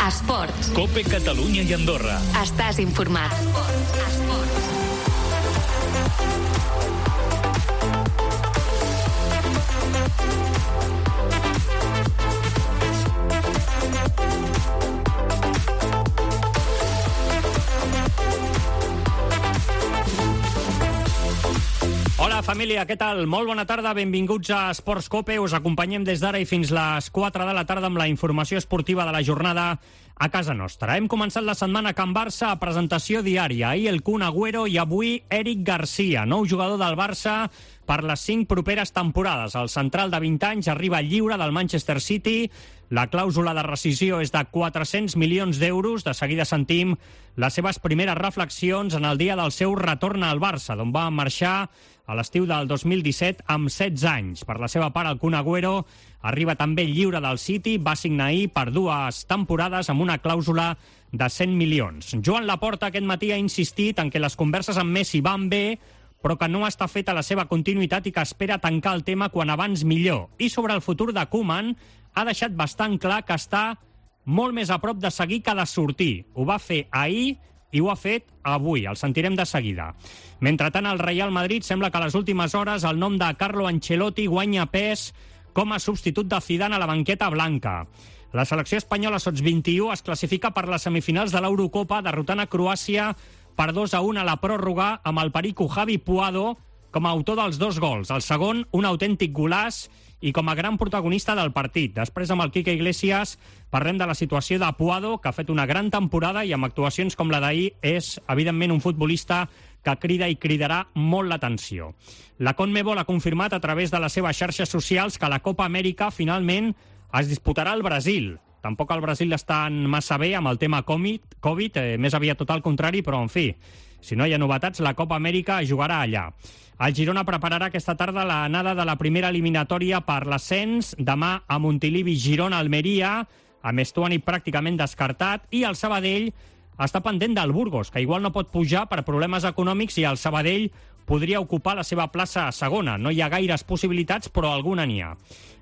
Esports. COPE Catalunya i Andorra. Estàs informat. Esports. Hola, família, què tal? Molt bona tarda, benvinguts a Esports COPE. Us acompanyem des d'ara i fins les 4 de la tarda amb la informació esportiva de la jornada a casa nostra. Hem començat la setmana a Can Barça a presentació diària. Ahir el Kun Agüero i avui Eric Garcia, nou jugador del Barça per les 5 properes temporades. El central de 20 anys arriba lliure del Manchester City. La clàusula de rescisió és de 400 milions d'euros. De seguida sentim les seves primeres reflexions en el dia del seu retorn al Barça, d'on va marxar a l'estiu del 2017 amb 16 anys. Per la seva part, el Kun Agüero arriba també lliure del City, va signar ahir per 2 temporades amb una clàusula de 100 milions. Joan Laporta aquest matí ha insistit en que les converses amb Messi van bé, però que no està feta la seva continuïtat i que espera tancar el tema quan abans millor. I sobre el futur de Koeman ha deixat bastant clar que està molt més a prop de seguir que de sortir. Ho va fer ahir i ho ha fet avui, el sentirem de seguida. Mentrestant, el Real Madrid sembla que a les últimes hores el nom de Carlo Ancelotti guanya pes com a substitut de Zidane a la banqueta blanca. La selecció espanyola Sots-21 es classifica per les semifinals de l'Eurocopa derrotant a Croàcia per 2-1 a la pròrroga amb el perico Javi Puado com a autor dels 2 gols. El segon, un autèntic golaç i com a gran protagonista del partit. Després, amb el Quique Iglesias, parlem de la situació de Puado, que ha fet una gran temporada i amb actuacions com la d'ahir és, evidentment, un futbolista que crida i cridarà molt l'atenció. La CONMEBOL ha confirmat a través de les seves xarxes socials que la Copa Amèrica finalment es disputarà al Brasil. Tampoc el Brasil està massa bé amb el tema Covid, més aviat tot al contrari, però en fi, si no hi ha novetats, la Copa Amèrica es jugarà allà. El Girona prepararà aquesta tarda l'anada de la primera eliminatòria per l'ascens, demà a Montilivi, Girona, Almeria, amb Estuani pràcticament descartat, i el Sabadell està pendent del Burgos, que igual no pot pujar per problemes econòmics i el Sabadell podria ocupar la seva plaça a segona. No hi ha gaires possibilitats, però alguna n'hi ha.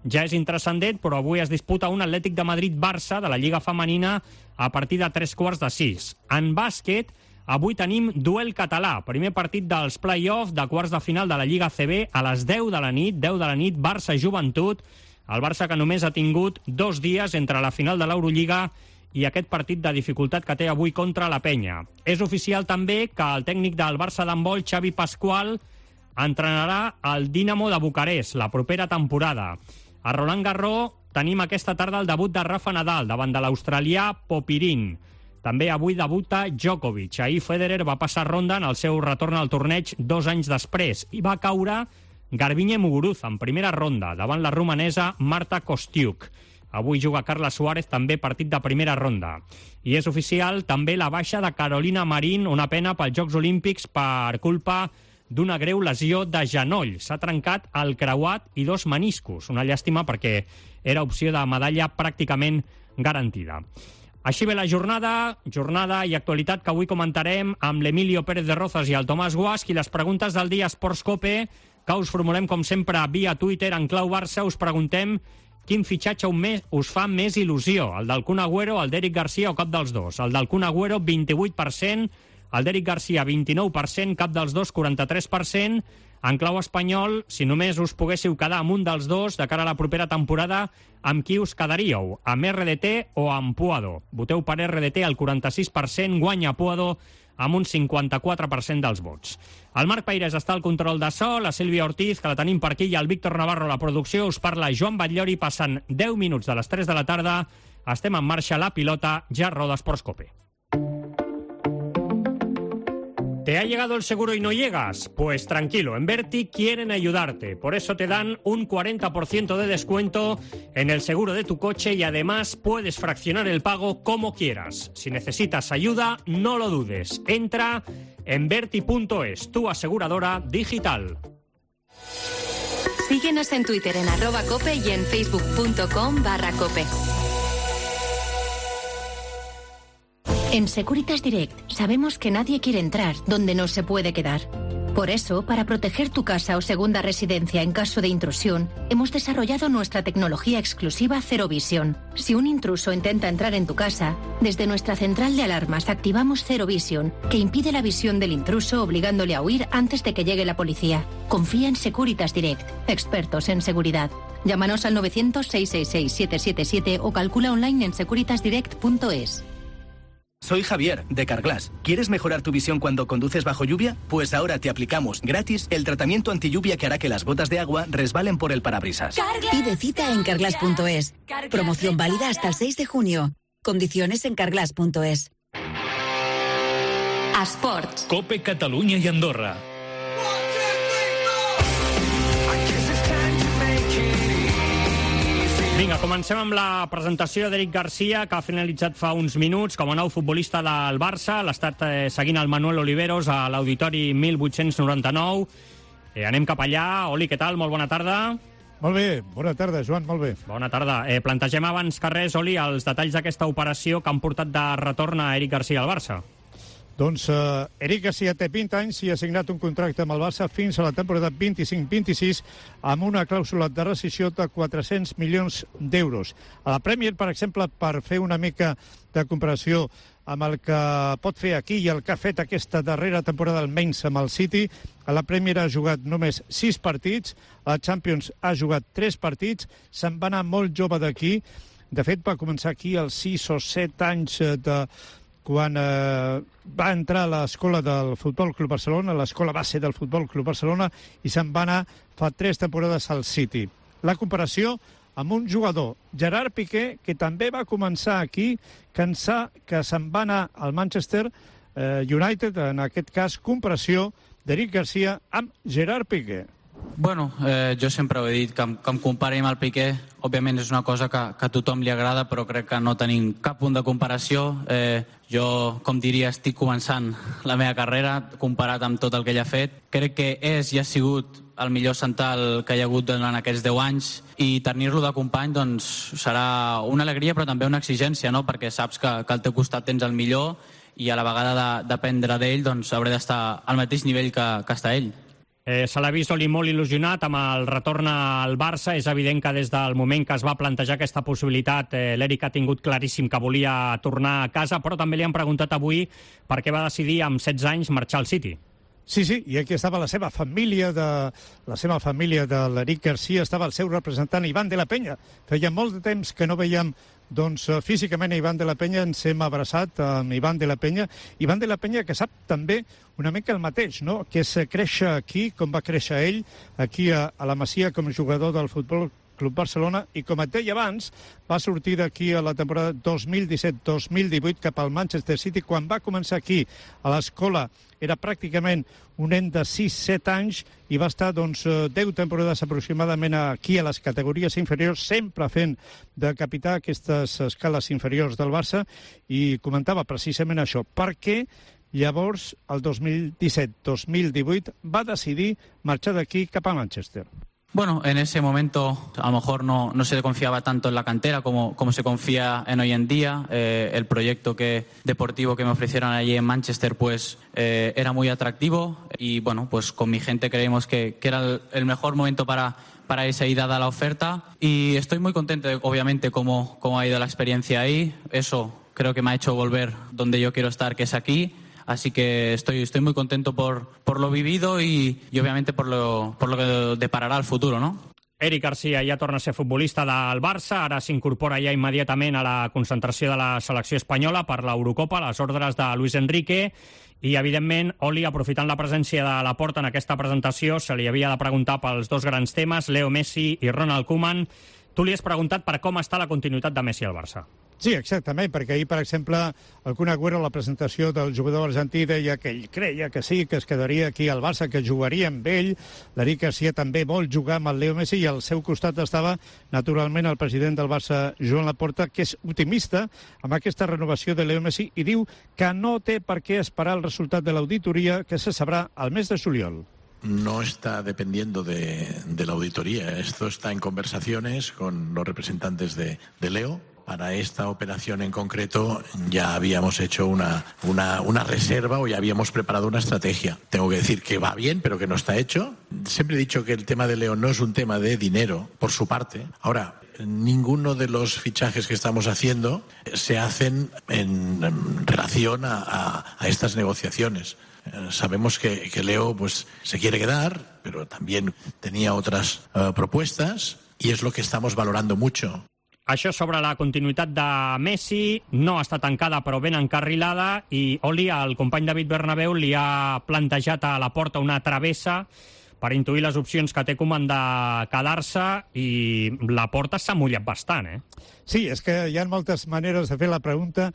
Ja és intranscendent, però avui es disputa un Atlètic de Madrid-Barça de la Lliga Femenina a partir de 3:45. En bàsquet, avui tenim duel català, primer partit dels play-off de quarts de final de la Lliga ACB a les 10 de la nit, Barça-Joventut, el Barça que només ha tingut 2 dies entre la final de l'Eurolliga i aquest partit de dificultat que té avui contra la Penya. És oficial també que el tècnic del Barça d'handbol, Xavi Pascual, entrenarà el Dinamo de Bucarest la propera temporada. A Roland Garros tenim aquesta tarda el debut de Rafa Nadal davant de l'australià Popirin. També avui debuta Djokovic. Ahir Federer va passar ronda en el seu retorn al torneig 2 anys després i va caure Garbiñe Muguruza en primera ronda davant la romanesa Marta Kostiuk. Avui juga Carla Suárez, també partit de primera ronda. I és oficial també la baixa de Carolina Marín, una pena pels Jocs Olímpics per culpa d'una greu lesió de genoll. S'ha trencat el creuat i 2 meniscos. Una llàstima perquè era opció de medalla pràcticament garantida. Així ve la jornada i actualitat que avui comentarem amb l'Emilio Pérez de Rozas i el Tomàs Guasch, i les preguntes del dia Esports COPE, que us formulem com sempre via Twitter en clau Barça. Us preguntem quin fitxatge us fa més il·lusió, el del Kun Agüero, el d'Eric Garcia o cap dels dos. El del Kun Agüero, 28%, el d'Eric Garcia, 29%, cap dels dos, 43%. En clau espanyol, si només us poguéssiu quedar amb un dels dos de cara a la propera temporada, amb qui us quedaríeu? Amb RDT o amb Puado? Voteu per RDT al 46%, guanya Puado amb un 54% dels vots. El Marc Peirés està al control de so, la Sílvia Ortiz, que la tenim per aquí, i el Víctor Navarro a la producció. Us parla Joan Batllori, passant 10 minuts de les 3 de la tarda. Estem en marxa, la pilota ja roda Esports COPE. ¿Te ha llegado el seguro y no llegas? Pues tranquilo, en Verti quieren ayudarte. Por eso te dan un 40% de descuento en el seguro de tu coche y además puedes fraccionar el pago como quieras. Si necesitas ayuda, no lo dudes. Entra en Verti.es, tu aseguradora digital. Síguenos en Twitter en @cope y en facebook.com/cope. En Securitas Direct sabemos que nadie quiere entrar donde no se puede quedar. Por eso, para proteger tu casa o segunda residencia en caso de intrusión, hemos desarrollado nuestra tecnología exclusiva Zero Vision. Si un intruso intenta entrar en tu casa, desde nuestra central de alarmas activamos Zero Vision, que impide la visión del intruso obligándole a huir antes de que llegue la policía. Confía en Securitas Direct, expertos en seguridad. Llámanos al 900-666-777 o calcula online en securitasdirect.es. Soy Javier, de Carglass. ¿Quieres mejorar tu visión cuando conduces bajo lluvia? Pues ahora te aplicamos gratis el tratamiento antilluvia que hará que las gotas de agua resbalen por el parabrisas. Pide cita en carglass.es. Promoción válida hasta el 6 de junio. Condiciones en carglass.es. Esports. Cope Catalunya i Andorra. Vinga, comencem amb la presentació d'Eric Garcia, que ha finalitzat fa uns minuts com a nou futbolista del Barça. L'ha estat seguint el Manuel Oliveros a l'Auditori 1899. Anem cap allà. Oli, què tal? Molt bona tarda. Molt bé, bona tarda, Joan, molt bé. Bona tarda. Plantegem abans que res, Oli, els detalls d'aquesta operació que han portat de retorn a Eric Garcia al Barça. Doncs Eric Garcia té 20 anys i ha signat un contracte amb el Barça fins a la temporada 25-26 amb una clàusula de rescissió de 400 milions d'euros. A la Premier, per exemple, per fer una mica de comparació amb el que pot fer aquí i el que ha fet aquesta darrera temporada almenys amb el City, a la Premier ha jugat només 6 partits, a la Champions ha jugat 3 partits, se'n va anar molt jove d'aquí. De fet, va començar aquí als 6 o 7 anys quan va entrar a l'escola del Futbol Club Barcelona, l'escola base del Futbol Club Barcelona, i se'n va anar fa 3 temporades al City. La comparació amb un jugador, Gerard Piqué, que també va començar aquí, que se'n va anar al Manchester United, en aquest cas, comparació d'Eric Garcia amb Gerard Piqué. Bueno, jo sempre ho he dit, que em compari amb el Piqué, òbviament és una cosa que a tothom li agrada, però crec que no tenim cap punt de comparació. Jo, com diria, estic començant la meva carrera, comparat amb tot el que ell ha fet. Crec que és i ha sigut el millor central que hi ha hagut durant aquests 10 anys, i tenir-lo de company doncs, serà una alegria però també una exigència, no? Perquè saps que al teu costat tens el millor i a la vegada de dependre d'ell doncs, hauré d'estar al mateix nivell que està ell. Se l'ha vist Oli molt il·lusionat amb el retorn al Barça. És evident que des del moment que es va plantejar aquesta possibilitat l'Eric ha tingut claríssim que volia tornar a casa, però també li han preguntat avui per què va decidir amb 16 anys marxar al City. Sí, i aquí estava la seva família de l'Eric Garcia, estava el seu representant Ivan de la Peña. Feia molt de temps que no veiem físicament a Ivan de la Peña, ens hem abraçat amb Ivan de la Peña. Ivan de la Peña, que sap també una mica el mateix, no? Que és créixer aquí, com va créixer ell, aquí a la Masia com a jugador del Futbol Club Barcelona, i com et deia abans, va sortir d'aquí a la temporada 2017-2018 cap al Manchester City. Quan va començar aquí a l'escola era pràcticament un nen de 6-7 anys i va estar 10 temporades aproximadament aquí a les categories inferiors, sempre fent de capità aquestes escales inferiors del Barça, i comentava precisament això, perquè llavors el 2017-2018 va decidir marxar d'aquí cap a Manchester. Bueno, en ese momento a lo mejor no se confiaba tanto en la cantera como se confía en hoy en día. El proyecto deportivo que me ofrecieron allí en Manchester pues era muy atractivo, y bueno, pues con mi gente creímos que era el mejor momento para irse ahí dada la oferta, y estoy muy contento obviamente cómo ha ido la experiencia ahí. Eso creo que me ha hecho volver donde yo quiero estar, que es aquí. Así que estoy muy contento por lo vivido y obviamente por lo que depararà el futuro, ¿no? Eric Garcia ja torna a ser futbolista del Barça, ara s'incorpora ja immediatament a la concentració de la selecció espanyola per l'Eurocopa, a les ordres de Luis Enrique, i evidentment, Oli, aprofitant la presència de Laporta en aquesta presentació, se li havia de preguntar pels dos grans temes, Leo Messi i Ronald Koeman. Tu li has preguntat per com està la continuïtat de Messi al Barça. Sí, exactament, perquè ahir, per exemple, el Kun Agüero, a la presentació del jugador argentí, deia que ell creia que sí, que es quedaria aquí al Barça, que jugaria amb ell. L'Eric Garcia també vol jugar amb el Leo Messi, i al seu costat estava, naturalment, el president del Barça, Joan Laporta, que és optimista amb aquesta renovació de Leo Messi i diu que no té per què esperar el resultat de l'auditoria, que se sabrà al mes de juliol. No está dependiendo de la auditoría. Esto está en conversaciones con los representantes de Leo. para esta operación en concreto ya habíamos hecho una reserva o ya habíamos preparado una estrategia. Tengo que decir que va bien, pero que no está hecho. Siempre he dicho que el tema de Leo no es un tema de dinero, por su parte. Ahora, ninguno de los fichajes que estamos haciendo se hacen en relación a estas negociaciones. Sabemos que Leo pues se quiere quedar, pero también tenía otras propuestas y es lo que estamos valorando mucho. Això sobre la continuïtat de Messi no està tancada però ben encarrilada i Oli, el company David Bernabéu, li ha plantejat a Laporta una travessa per intuir les opcions que té Koeman de quedar-se i Laporta s'ha mullat bastant, Sí, és que hi ha moltes maneres de fer la pregunta.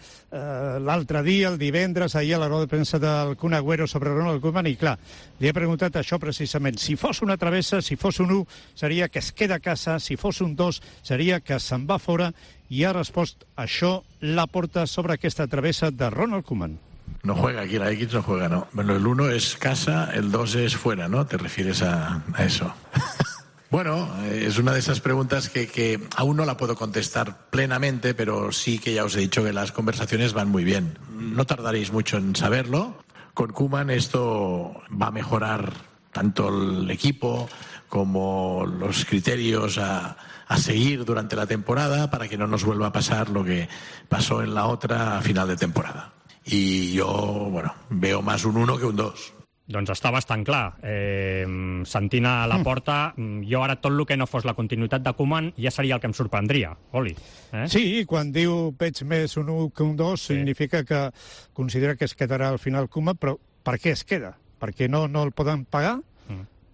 L'altre dia, el divendres, ahir a la roda de premsa del Kun Agüero sobre Ronald Koeman, i clar, li he preguntat això precisament. Si fos una travessa, si fos un 1, seria que es queda a casa, si fos un 2, seria que se'n va fora, i ha respost això Laporta sobre aquesta travessa de Ronald Koeman. No juega aquí, la X no juega, ¿no? Bueno, el 1 es casa, el 2 es fuera, ¿no? ¿Te refieres a eso? Bueno, es una de esas preguntas que aún no la puedo contestar plenamente, pero sí que ya os he dicho que las conversaciones van muy bien. No tardaréis mucho en saberlo. Con Koeman esto va a mejorar tanto el equipo como los criterios a seguir durante la temporada para que no nos vuelva a pasar lo que pasó en la otra a final de temporada. Y yo, bueno, veo más un 1 que un 2. Doncs està bastant clar. Sentint a Laporta, jo ara tot el que no fos la continuïtat de Koeman ja seria el que em sorprendria, Oli. Sí, quan diu veig més un 1 que un 2, significa que considera que es quedarà al final Koeman, però per què es queda? Perquè no el poden pagar?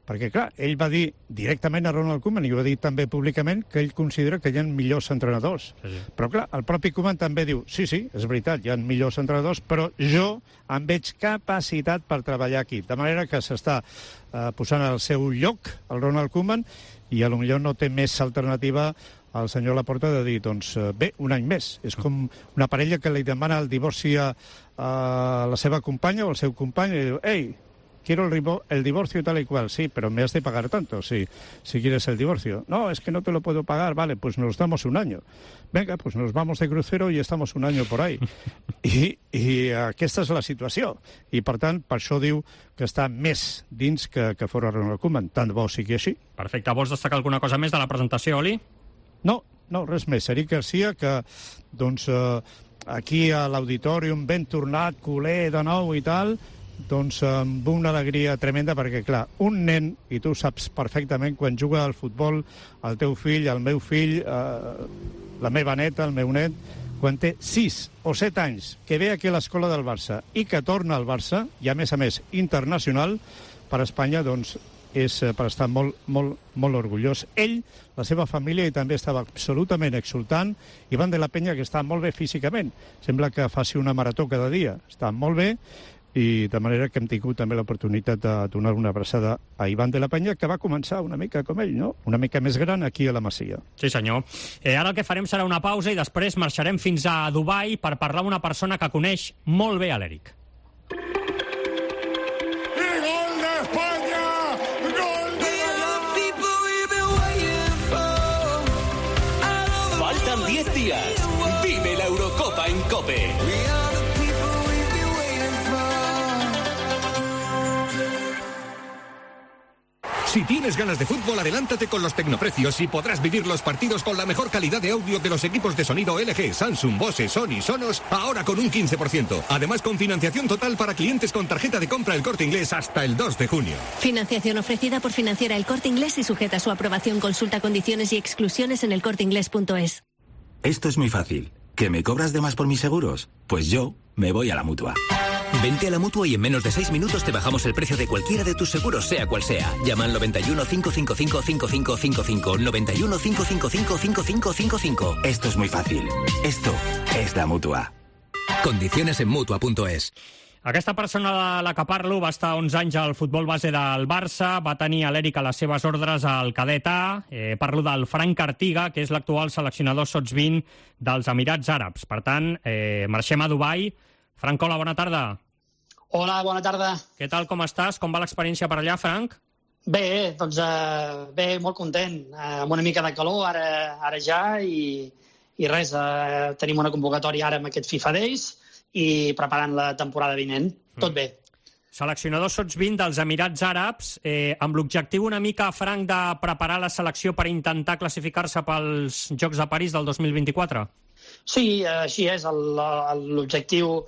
Perquè, clar, ell va dir directament a Ronald Koeman, i ho va dir també públicament, que ell considera que hi ha millors entrenadors. Sí. Però, clar, el propi Koeman també diu, sí, és veritat, hi ha millors entrenadors, però jo em veig capacitat per treballar aquí. De manera que s'està posant al seu lloc el Ronald Koeman, i potser no té més alternativa al senyor Laporta de dir, doncs bé, un any més. És com una parella que li demana el divorci a la seva companya o al seu company, i diu, ei, quiero el divorcio tal y cual, sí, pero me has de pagar tanto, si quieres el divorcio. No, es que no te lo puedo pagar, vale, pues nos damos un año. Venga, pues nos vamos de crucero y estamos un año por ahí. I aquesta és la situació. I, per tant, per això diu que està més dins que fora Ronald Koeman. Tant de bo sigui així. Perfecte. Vols destacar alguna cosa més de la presentació, Oli? No, res més. Eric Garcia, que, doncs, aquí a l'auditorium ben tornat, culer de nou i tal, doncs amb una alegria tremenda, perquè, clar, un nen, i tu saps perfectament, quan juga al futbol, el teu fill, el meu fill, la meva neta, el meu net, quan té 6 o 7 anys, que ve aquí a l'escola del Barça i que torna al Barça, i a més internacional, per Espanya, doncs, és per estar molt, molt, molt orgullós. Ell, la seva família, i també estava absolutament exultant, i Ivan de la Peña, que està molt bé físicament. Sembla que faci una marató cada dia. Està molt bé, i de manera que hem tingut també l'oportunitat de donar una abraçada a Ivan de la Peña, que va començar una mica com ell, no? Una mica més gran aquí a la Masia. Sí, senyor. Ara el que farem serà una pausa i després marxarem fins a Dubai per parlar amb una persona que coneix molt bé a l'Eric. Faltan 10 días. Vive la Eurocopa en COPE. Si tienes ganas de fútbol, adelántate con los tecnoprecios y podrás vivir los partidos con la mejor calidad de audio de los equipos de sonido LG, Samsung, Bose, Sony, Sonos, ahora con un 15%. Además, con financiación total para clientes con tarjeta de compra El Corte Inglés hasta el 2 de junio. Financiación ofrecida por Financiera El Corte Inglés y sujeta a su aprobación. Consulta condiciones y exclusiones en elcorteinglés.es. Esto es muy fácil. ¿Que me cobras de más por mis seguros? Pues yo me voy a la Mutua. Vente a la Mutua y en menos de 6 minutos te bajamos el precio de cualquiera de tus seguros, sea cual sea. Llama al 91 555 5555. 91 555 5555. Esto es muy fácil. Esto es la Mutua. Condiciones en Mutua.es. Aquesta persona de la que parlo va estar 11 anys al futbol base del Barça, va tenir a l'Eric a les seves ordres al cadet A. Parlo del Frank Artiga, que és l'actual seleccionador sots-20 dels Emirats Àrabs. Per tant, marxem a Dubai. Frank, hola, bona tarda. Hola, bona tarda. Què tal, com estàs? Com va l'experiència per allà, Frank? Bé, doncs bé, molt content. Amb una mica de calor ara ja i I res, tenim una convocatòria ara amb aquest FIFA Days i preparant la temporada vinent. Tot bé. Seleccionador sots 20 dels Emirats Àrabs, amb l'objectiu una mica, Frank, de preparar la selecció per intentar classificar-se pels Jocs de París del 2024? Sí, així és. L'objectiu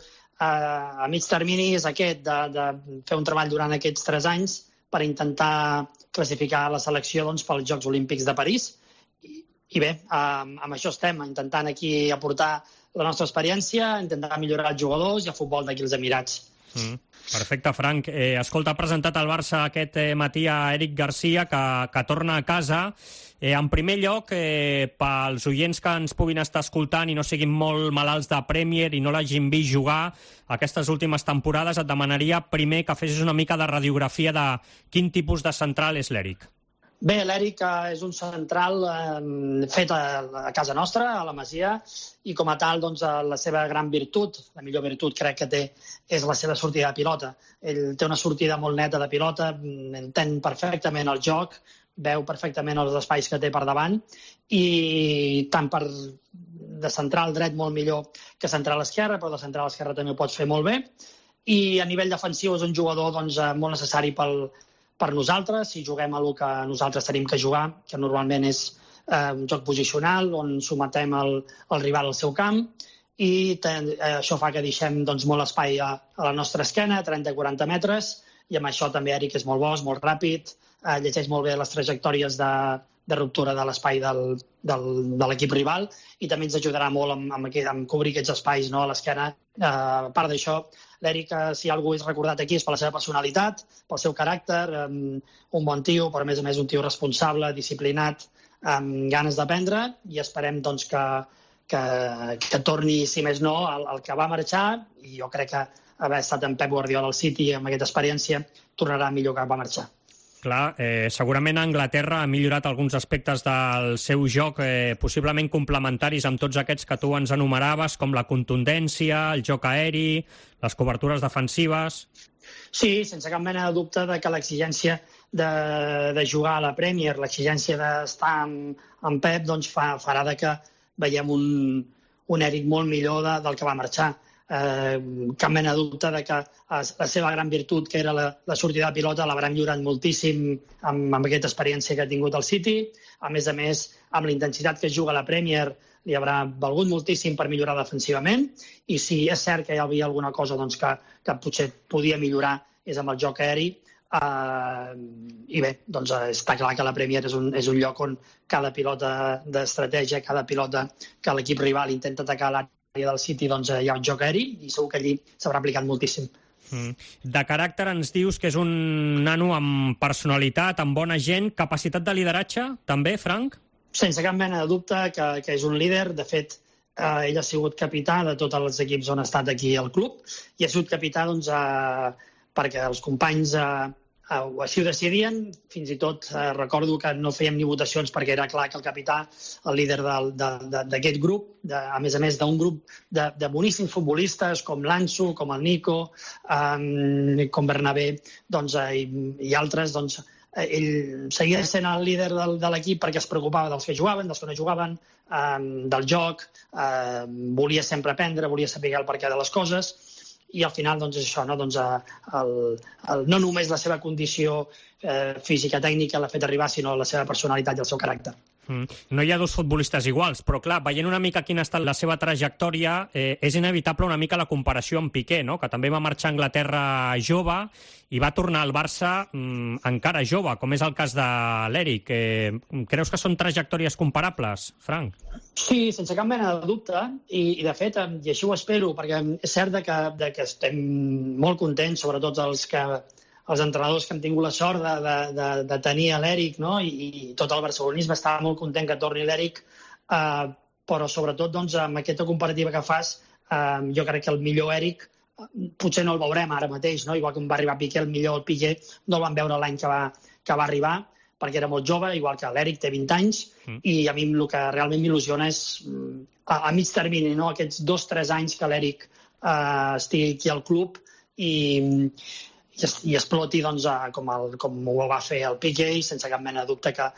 a mig termini és aquest, de fer un treball durant aquests 3 anys per intentar classificar la selecció pels Jocs Olímpics de París. I bé, amb això estem, intentant aquí aportar la nostra experiència, intentar millorar els jugadors i el futbol d'aquí als Emirats. Perfecte, Frank. Escolta, ha presentat el Barça aquest matí a Eric Garcia, que torna a casa. En primer lloc, pels oients que ens puguin estar escoltant i no siguin molt malalts de Premier i no l'hagin vist jugar aquestes últimes temporades, et demanaria primer que fessis una mica de radiografia de quin tipus de central és l'Eric. Bé, l'Eric és un central fet a casa nostra, a la Masia, i com a tal, la seva gran virtut, la millor virtut crec que té, és la seva sortida de pilota. Ell té una sortida molt neta de pilota, entén perfectament el joc, veu perfectament els espais que té per davant, i tant de central dret molt millor que central esquerre, però de central esquerre també ho pots fer molt bé, i a nivell defensiu és un jugador molt necessari per nosaltres, si juguem a el que nosaltres tenim que jugar, que normalment és un joc posicional, on sometem el rival al seu camp, i això fa que deixem molt espai a la nostra esquena, 30-40 metres, i amb això també Eric és molt bo, és molt ràpid, llegeix molt bé les trajectòries de ruptura de l'espai de l'equip rival, i també ens ajudarà molt en cobrir aquests espais a l'esquena. A part d'això, l'Eric, si algú és recordat aquí, és per la seva personalitat, pel seu caràcter, un bon tio, però a més un tio responsable, disciplinat, amb ganes d'aprendre, i esperem que torni, si més no, el que va marxar, i jo crec que haver estat en Pep Guardiola al City amb aquesta experiència tornarà millor que va marxar. Clar, segurament Anglaterra ha millorat alguns aspectes del seu joc, possiblement complementaris amb tots aquests que tu ens enumeraves, com la contundència, el joc aeri, les cobertures defensives. Sí, sense cap mena de dubte que l'exigència de jugar a la Premier, l'exigència d'estar amb Pep, farà que veiem un Eric molt millor del que va marxar. Cap mena de dubte que la seva gran virtut, que era la sortida de pilota, l'haurà millorat moltíssim amb aquesta experiència que ha tingut al City. A més, amb la intensitat que juga a la Premier, li haurà valgut moltíssim per millorar defensivament, i si és cert que hi havia alguna cosa que potser podia millorar és amb el joc aeri, i bé, està clar que la Premier és un lloc on cada pilota d'estratègia, cada pilota que l'equip rival intenta atacar l'àrea del City, hi ha un joc aeri, i segur que allí s'haurà aplicat moltíssim. De caràcter ens dius que és un nano amb personalitat, amb bona gent, capacitat de lideratge, també, Frank? Sense cap mena de dubte que és un líder. De fet, ell ha sigut capità de tots els equips on ha estat aquí al club, i ha sigut capità perquè els companys així ho decidien. Fins i tot recordo que no fèiem ni votacions perquè era clar que el capità, el líder d'aquest grup, a més d'un grup de boníssims futbolistes com l'Ansu, com el Nico, com Bernabé i altres, ell seguia sent el líder de l'equip perquè es preocupava dels que jugaven, dels que no jugaven, del joc, volia sempre aprendre, volia saber el perquè de les coses, i al final és això, no només la seva condició física tècnica l'ha fet arribar, sinó la seva personalitat i el seu caràcter. No hi ha dos futbolistes iguals, però clar, veient una mica quina ha estat la seva trajectòria, és inevitable una mica la comparació amb Piqué, no? Que també va marxar a Anglaterra jove i va tornar al Barça encara jove, com és el cas de l'Eric. Creus que són trajectòries comparables, Frank? Sí, sense cap mena de dubte, i de fet, i així ho espero, perquè és cert que estem molt contents, sobretot els entrenadors que hem tingut la sort de tenir l'Eric, no? I tot el barcelonisme estava molt content que torni l'Eric, però sobretot amb aquesta comparativa que fas, jo crec que el millor Eric potser no el veurem ara mateix, no? Igual que va arribar Piqué, el millor Piqué no el vam veure l'any que va arribar, perquè era molt jove, igual que l'Eric té 20 anys, i a mi el que realment m'il·lusiona és a mig termini, no? Aquests 2-3 anys que l'Eric estigui aquí al club i exploti com ho va fer el Piqué, i sense cap mena de dubte que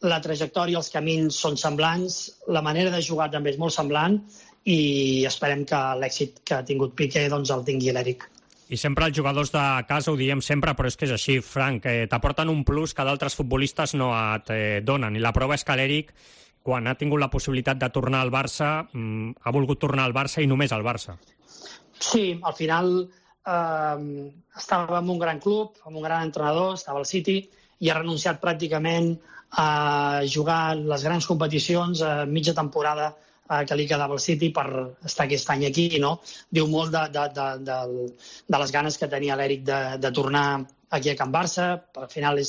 la trajectòria, els camins són semblants, la manera de jugar també és molt semblant i esperem que l'èxit que ha tingut Piqué doncs el tingui l'Eric. I sempre els jugadors de casa, ho diem sempre, però és que és així, Frank, t'aporten un plus que d'altres futbolistes no et donen. I la prova és que l'Eric, quan ha tingut la possibilitat de tornar al Barça, ha volgut tornar al Barça i només al Barça. Sí, al final estava en un gran club, amb un gran entrenador, estava al City, i ha renunciat pràcticament a jugar les grans competicions a mitja temporada que li quedava al City per estar aquest any aquí, no? Diu molt de les ganes que tenia l'Eric de tornar aquí a Can Barça. Al final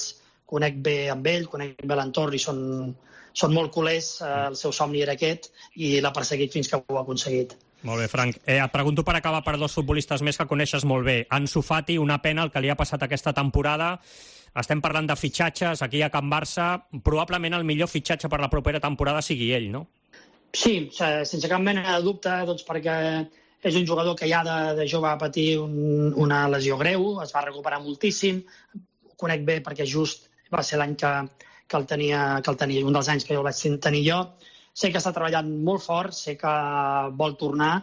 conec bé amb ell, conec bé l'entorn i són molt culers, el seu somni era aquest i l'ha perseguit fins que ho ha aconseguit. Molt bé, Frank. Et pregunto per acabar per dos futbolistes més que coneixes molt bé. Ansu Fati, una pena el que li ha passat aquesta temporada. Estem parlant de fitxatges aquí a Can Barça. Probablement el millor fitxatge per la propera temporada sigui ell, no? Sí, sense cap mena de dubte, doncs perquè és un jugador que ja de jove va patir una lesió greu, es va recuperar moltíssim. Ho conec bé perquè just va ser l'any que el tenia, un dels anys que jo el vaig tenir jo. Sé que està treballant molt fort, sé que vol tornar,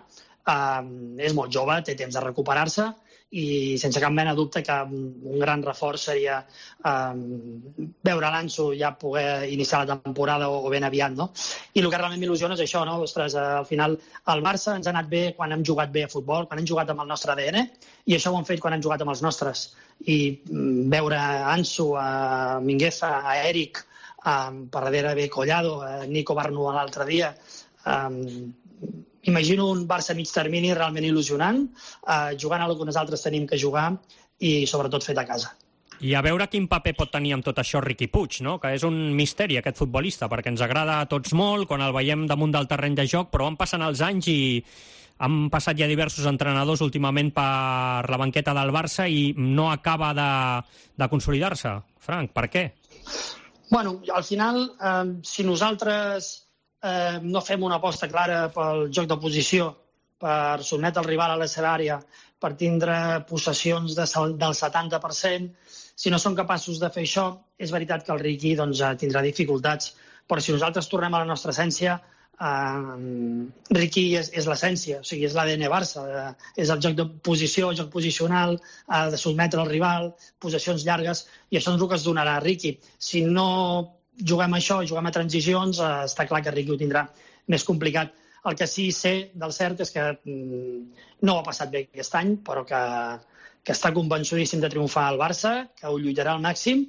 és molt jove, té temps de recuperar-se i sense cap mena de dubte que un gran reforç seria veure l'Ansu ja poder iniciar la temporada o ben aviat, no? I el que realment m'il·lusiona és això, no? Ostres, al final al Barça ens ha anat bé quan hem jugat bé a futbol, quan hem jugat amb el nostre ADN, i això ho hem fet quan hem jugat amb els nostres. I veure Ansu, a Mingueza, a Eric, per darrere ve Collado, Nico Barnu l'altre dia. Imagino un Barça mig termini realment il·lusionant, jugant a el que nosaltres tenim que jugar i sobretot fet a casa. I a veure quin paper pot tenir amb tot això Riqui Puig, no? Que és un misteri aquest futbolista, perquè ens agrada a tots molt quan el veiem damunt del terreny de joc, però van passant els anys i han passat ja diversos entrenadors últimament per la banqueta del Barça i no acaba de consolidar-se. Frank, per què? Bueno, al final, si nosaltres no fem una aposta clara pel joc de posició, per sotmetre el rival a la seva àrea, per tindre possessions del 70%, si no som capaços de fer això, és veritat que el Riqui tindrà dificultats. Però si nosaltres tornem a la nostra essència, Riqui és l'essència, o sigui, és l'ADN Barça, és el joc de posició, el joc posicional, de sotmetre el rival, possessions llargues, i això és el que es donarà a Riqui. Si no juguem a això, juguem a transicions, està clar que Riqui ho tindrà més complicat. El que sí sé del cert és que no ho ha passat bé aquest any, però que està convençudíssim de triomfar al Barça, que ho lluitarà al màxim,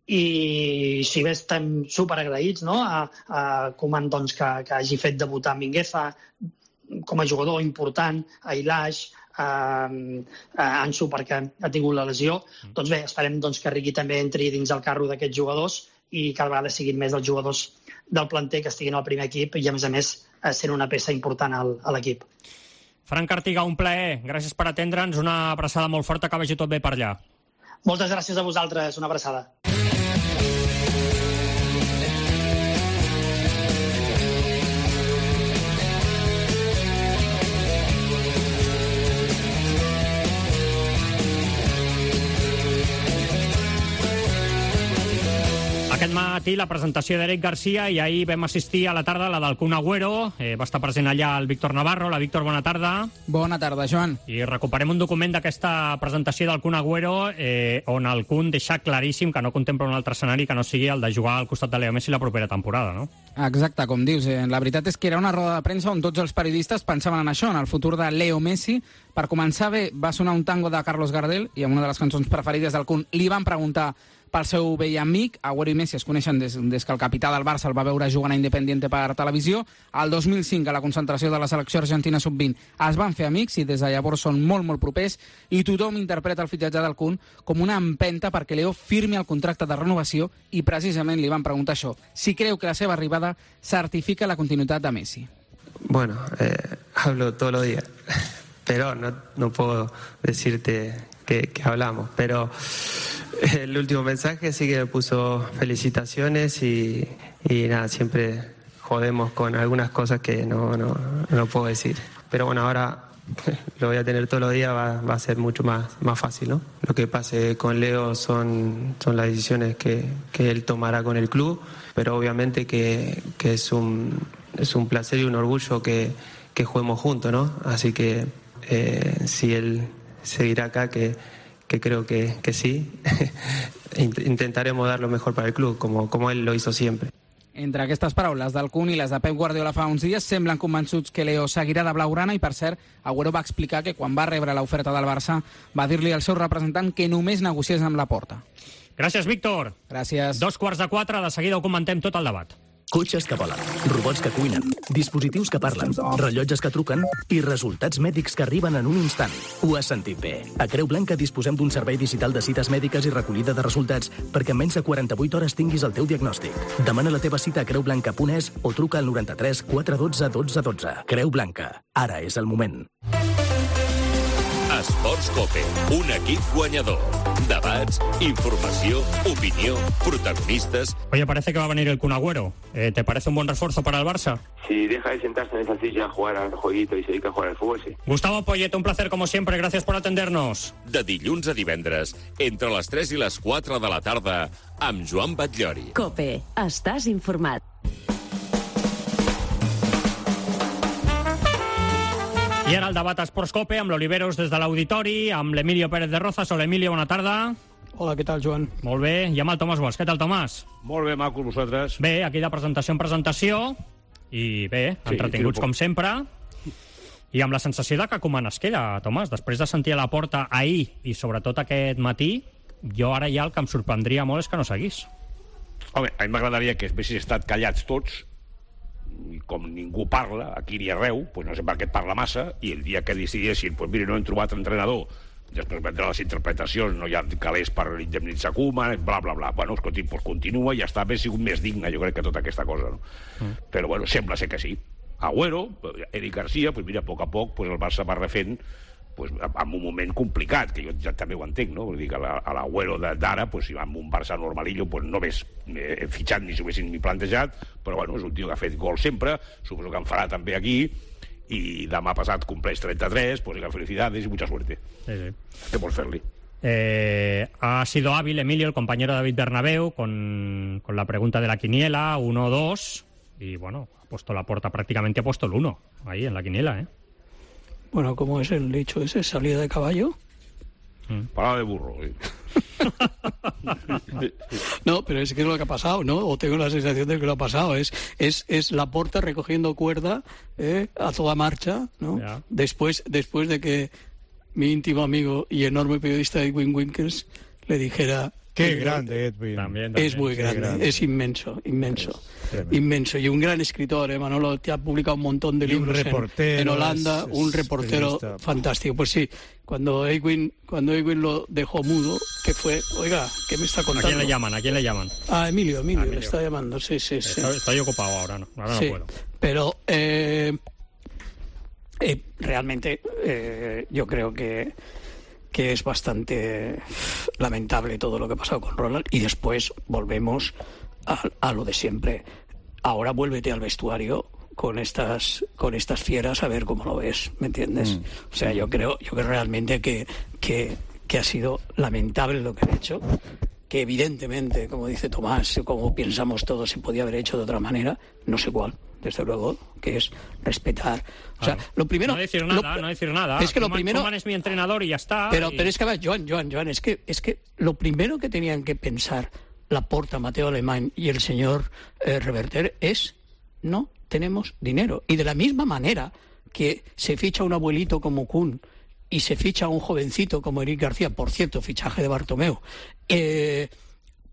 i si bé estem superagraïts, no?, a Koeman que hagi fet debutar Mingueza com a jugador important, a Ilaix, a Ansu perquè ha tingut la lesió, doncs bé, esperem que Riqui també entri dins el carro d'aquests jugadors i cada vegada siguin més els jugadors del planter que estiguin al primer equip i, a més, sent una peça important a l'equip. Frank Artiga, un plaer. Gràcies per atendre'ns. Una abraçada molt forta, que vagi tot bé per allà. Moltes gràcies a vosaltres. Una abraçada. Aquest matí la presentació d'Eric Garcia i ahir vam assistir a la tarda a la del Kun Agüero. Va estar present allà el Víctor Navarro. Hola, Víctor, bona tarda. Bona tarda, Joan. I recuperem un document d'aquesta presentació del Kun Agüero on el Kun deixa claríssim que no contempla un altre escenari que no sigui el de jugar al costat de Leo Messi la propera temporada, no? Exacte, com dius. La veritat és que era una roda de premsa on tots els periodistes pensaven en això, en el futur de Leo Messi. Per començar bé, va sonar un tango de Carlos Gardel i amb una de les cançons preferides del Kun li van preguntar pel seu vell amic. Agüero i Messi es coneixen des que el capità del Barça el va veure jugant a Independiente per televisió. El 2005, a la concentració de la selecció argentina sub-20, es van fer amics i des de llavors són molt, molt propers i tothom interpreta el fitxatge del Kun com una empenta perquè Leo firmi el contracte de renovació i precisament li van preguntar això, si creu que la seva arribada certifica la continuïtat de Messi. Bueno, hablo todos los días, pero no puedo decirte que hablamos, pero el último mensaje sí que me puso felicitaciones y nada, siempre jodemos con algunas cosas que no puedo decir. Pero bueno, ahora lo voy a tener todos los días, va a ser mucho más fácil, ¿no? Lo que pase con Leo son las decisiones que él tomará con el club. pero obviamente que es un placer y un orgullo que juguemos juntos, ¿no? Así que si él seguirá acá, que creo que sí, intentaremos dar lo mejor para el club, como él lo hizo siempre. Entre aquestes paraules del Kun i les de Pep Guardiola fa uns dies, semblen convençuts que Leo seguirà de blaugrana i, per cert, Agüero va explicar que quan va rebre l'oferta del Barça va dir-li al seu representant que només negociés amb Laporta. Gràcies, Víctor. Gràcies. 3:45, de seguida ho comentem tot el debat. Cotxes que volen, robots que cuinen, dispositius que parlen, rellotges que truquen i resultats mèdics que arriben en un instant. Ho has sentit bé. A Creu Blanca disposem d'un servei digital de cites mèdiques i recollida de resultats perquè en menys de 48 hores tinguis el teu diagnòstic. Demana la teva cita a creublanca.es o truca al 93 412 12 12. Creu Blanca. Ara és el moment. Esports Cope, un equip guanyador. Debats, informació, opinió, protagonistas. Oye, parece que va a venir el Kun Agüero. ¿Te parece un buen refuerzo para el Barça? Si deja de sentarse en esa silla a jugar al jueguito y se dedica a jugar al fútbol, sí. Gustavo Poyet, un placer como siempre. Gracias por atendernos. De dilluns a divendres, entre les 3 i les 4 de la tarda, amb Joan Batllori. Cope, estàs informat. I ara el debat a Esports Cope amb l'Oliveros des de l'Auditori, amb l'Emilio Pérez de Rozas. Hola, Emilio, bona tarda. Hola, què tal, Joan? Molt bé. I amb el Tomàs Guas. Què tal, Tomàs? Molt bé, macos, vosaltres. Bé, aquí de presentació en presentació. I bé, entretinguts com sempre. I amb la sensació de que com es queda, Tomàs, després de sentir a Laporta ahir i sobretot aquest matí, jo ara ja el que em sorprendria molt és que no seguís. Home, a mi m'agradaria que haguessis estat callats tots, i com ningú parla, aquí ni arreu, doncs no sé per què et parla massa, i el dia que decidissin, doncs mira, no hem trobat entrenador, després vendran les interpretacions, no hi ha calés per indemnitzar Koeman, bla, bla, bla. Bueno, escolti, doncs continua i ja està, bé sigut més digne, jo crec, que tota aquesta cosa, no? Però, bueno, sembla ser que sí. Agüero, Eric Garcia, doncs mira, a poc doncs el Barça va refent pues, en un moment complicat, que jo ja també ho entenc, no? Vull dir que a l'Agüero d'ara, pues, si va amb un Barça normalillo, pues, no hagués fitxat ni s'ho haguessin ni plantejat, però bueno, és un tio que ha fet gol sempre, suposo que en farà també aquí, i demà passat compleix 33, pues felicidades y mucha suerte. Sí. ¿Qué por hacerle? Ha sido hábil, Emilio, el compañero David Bernabéu, con la pregunta de la quiniela, 1-2, y bueno, ha puesto Laporta, prácticamente ha puesto el 1, ahí en la quiniela, ¿eh? Bueno, ¿cómo es el dicho ese? ¿Salida de caballo? Parada de burro. No, pero es que es lo que ha pasado, ¿no? O tengo la sensación de que lo ha pasado. Es Laporta recogiendo cuerda a toda marcha, ¿no? Yeah. Después de que mi íntimo amigo y enorme periodista Edwin Winkles le dijera... Qué grande, Edwin. También, es muy grande, es inmenso. Inmenso. Y un gran escritor, Manolo, te ha publicado un montón de libros en Holanda, un reportero fantástico. Pues sí, cuando Edwin lo dejó mudo, que fue, oiga, ¿qué me está contando? ¿A quién le llaman? A Emilio, le está llamando, sí. Estoy ocupado ahora no puedo. Pero realmente yo creo que es bastante lamentable todo lo que ha pasado con Ronald, y después volvemos a lo de siempre. Ahora vuélvete al vestuario con estas fieras a ver cómo lo ves, ¿me entiendes? O sea, yo creo realmente que ha sido lamentable lo que han hecho, que evidentemente, como dice Tomás, como pensamos todos, se podía haber hecho de otra manera, no sé cuál, desde luego, que es respetar. O sea, lo primero... No decir nada. Es que lo primero... Koeman es mi entrenador y ya está. Pero es que, a ver, Joan, es que lo primero que tenían que pensar Laporta, Mateo Alemán y el señor Reverter es: no tenemos dinero. Y de la misma manera que se ficha un abuelito como Kun y se ficha a un jovencito como Eric García, por cierto, fichaje de Bartomeu,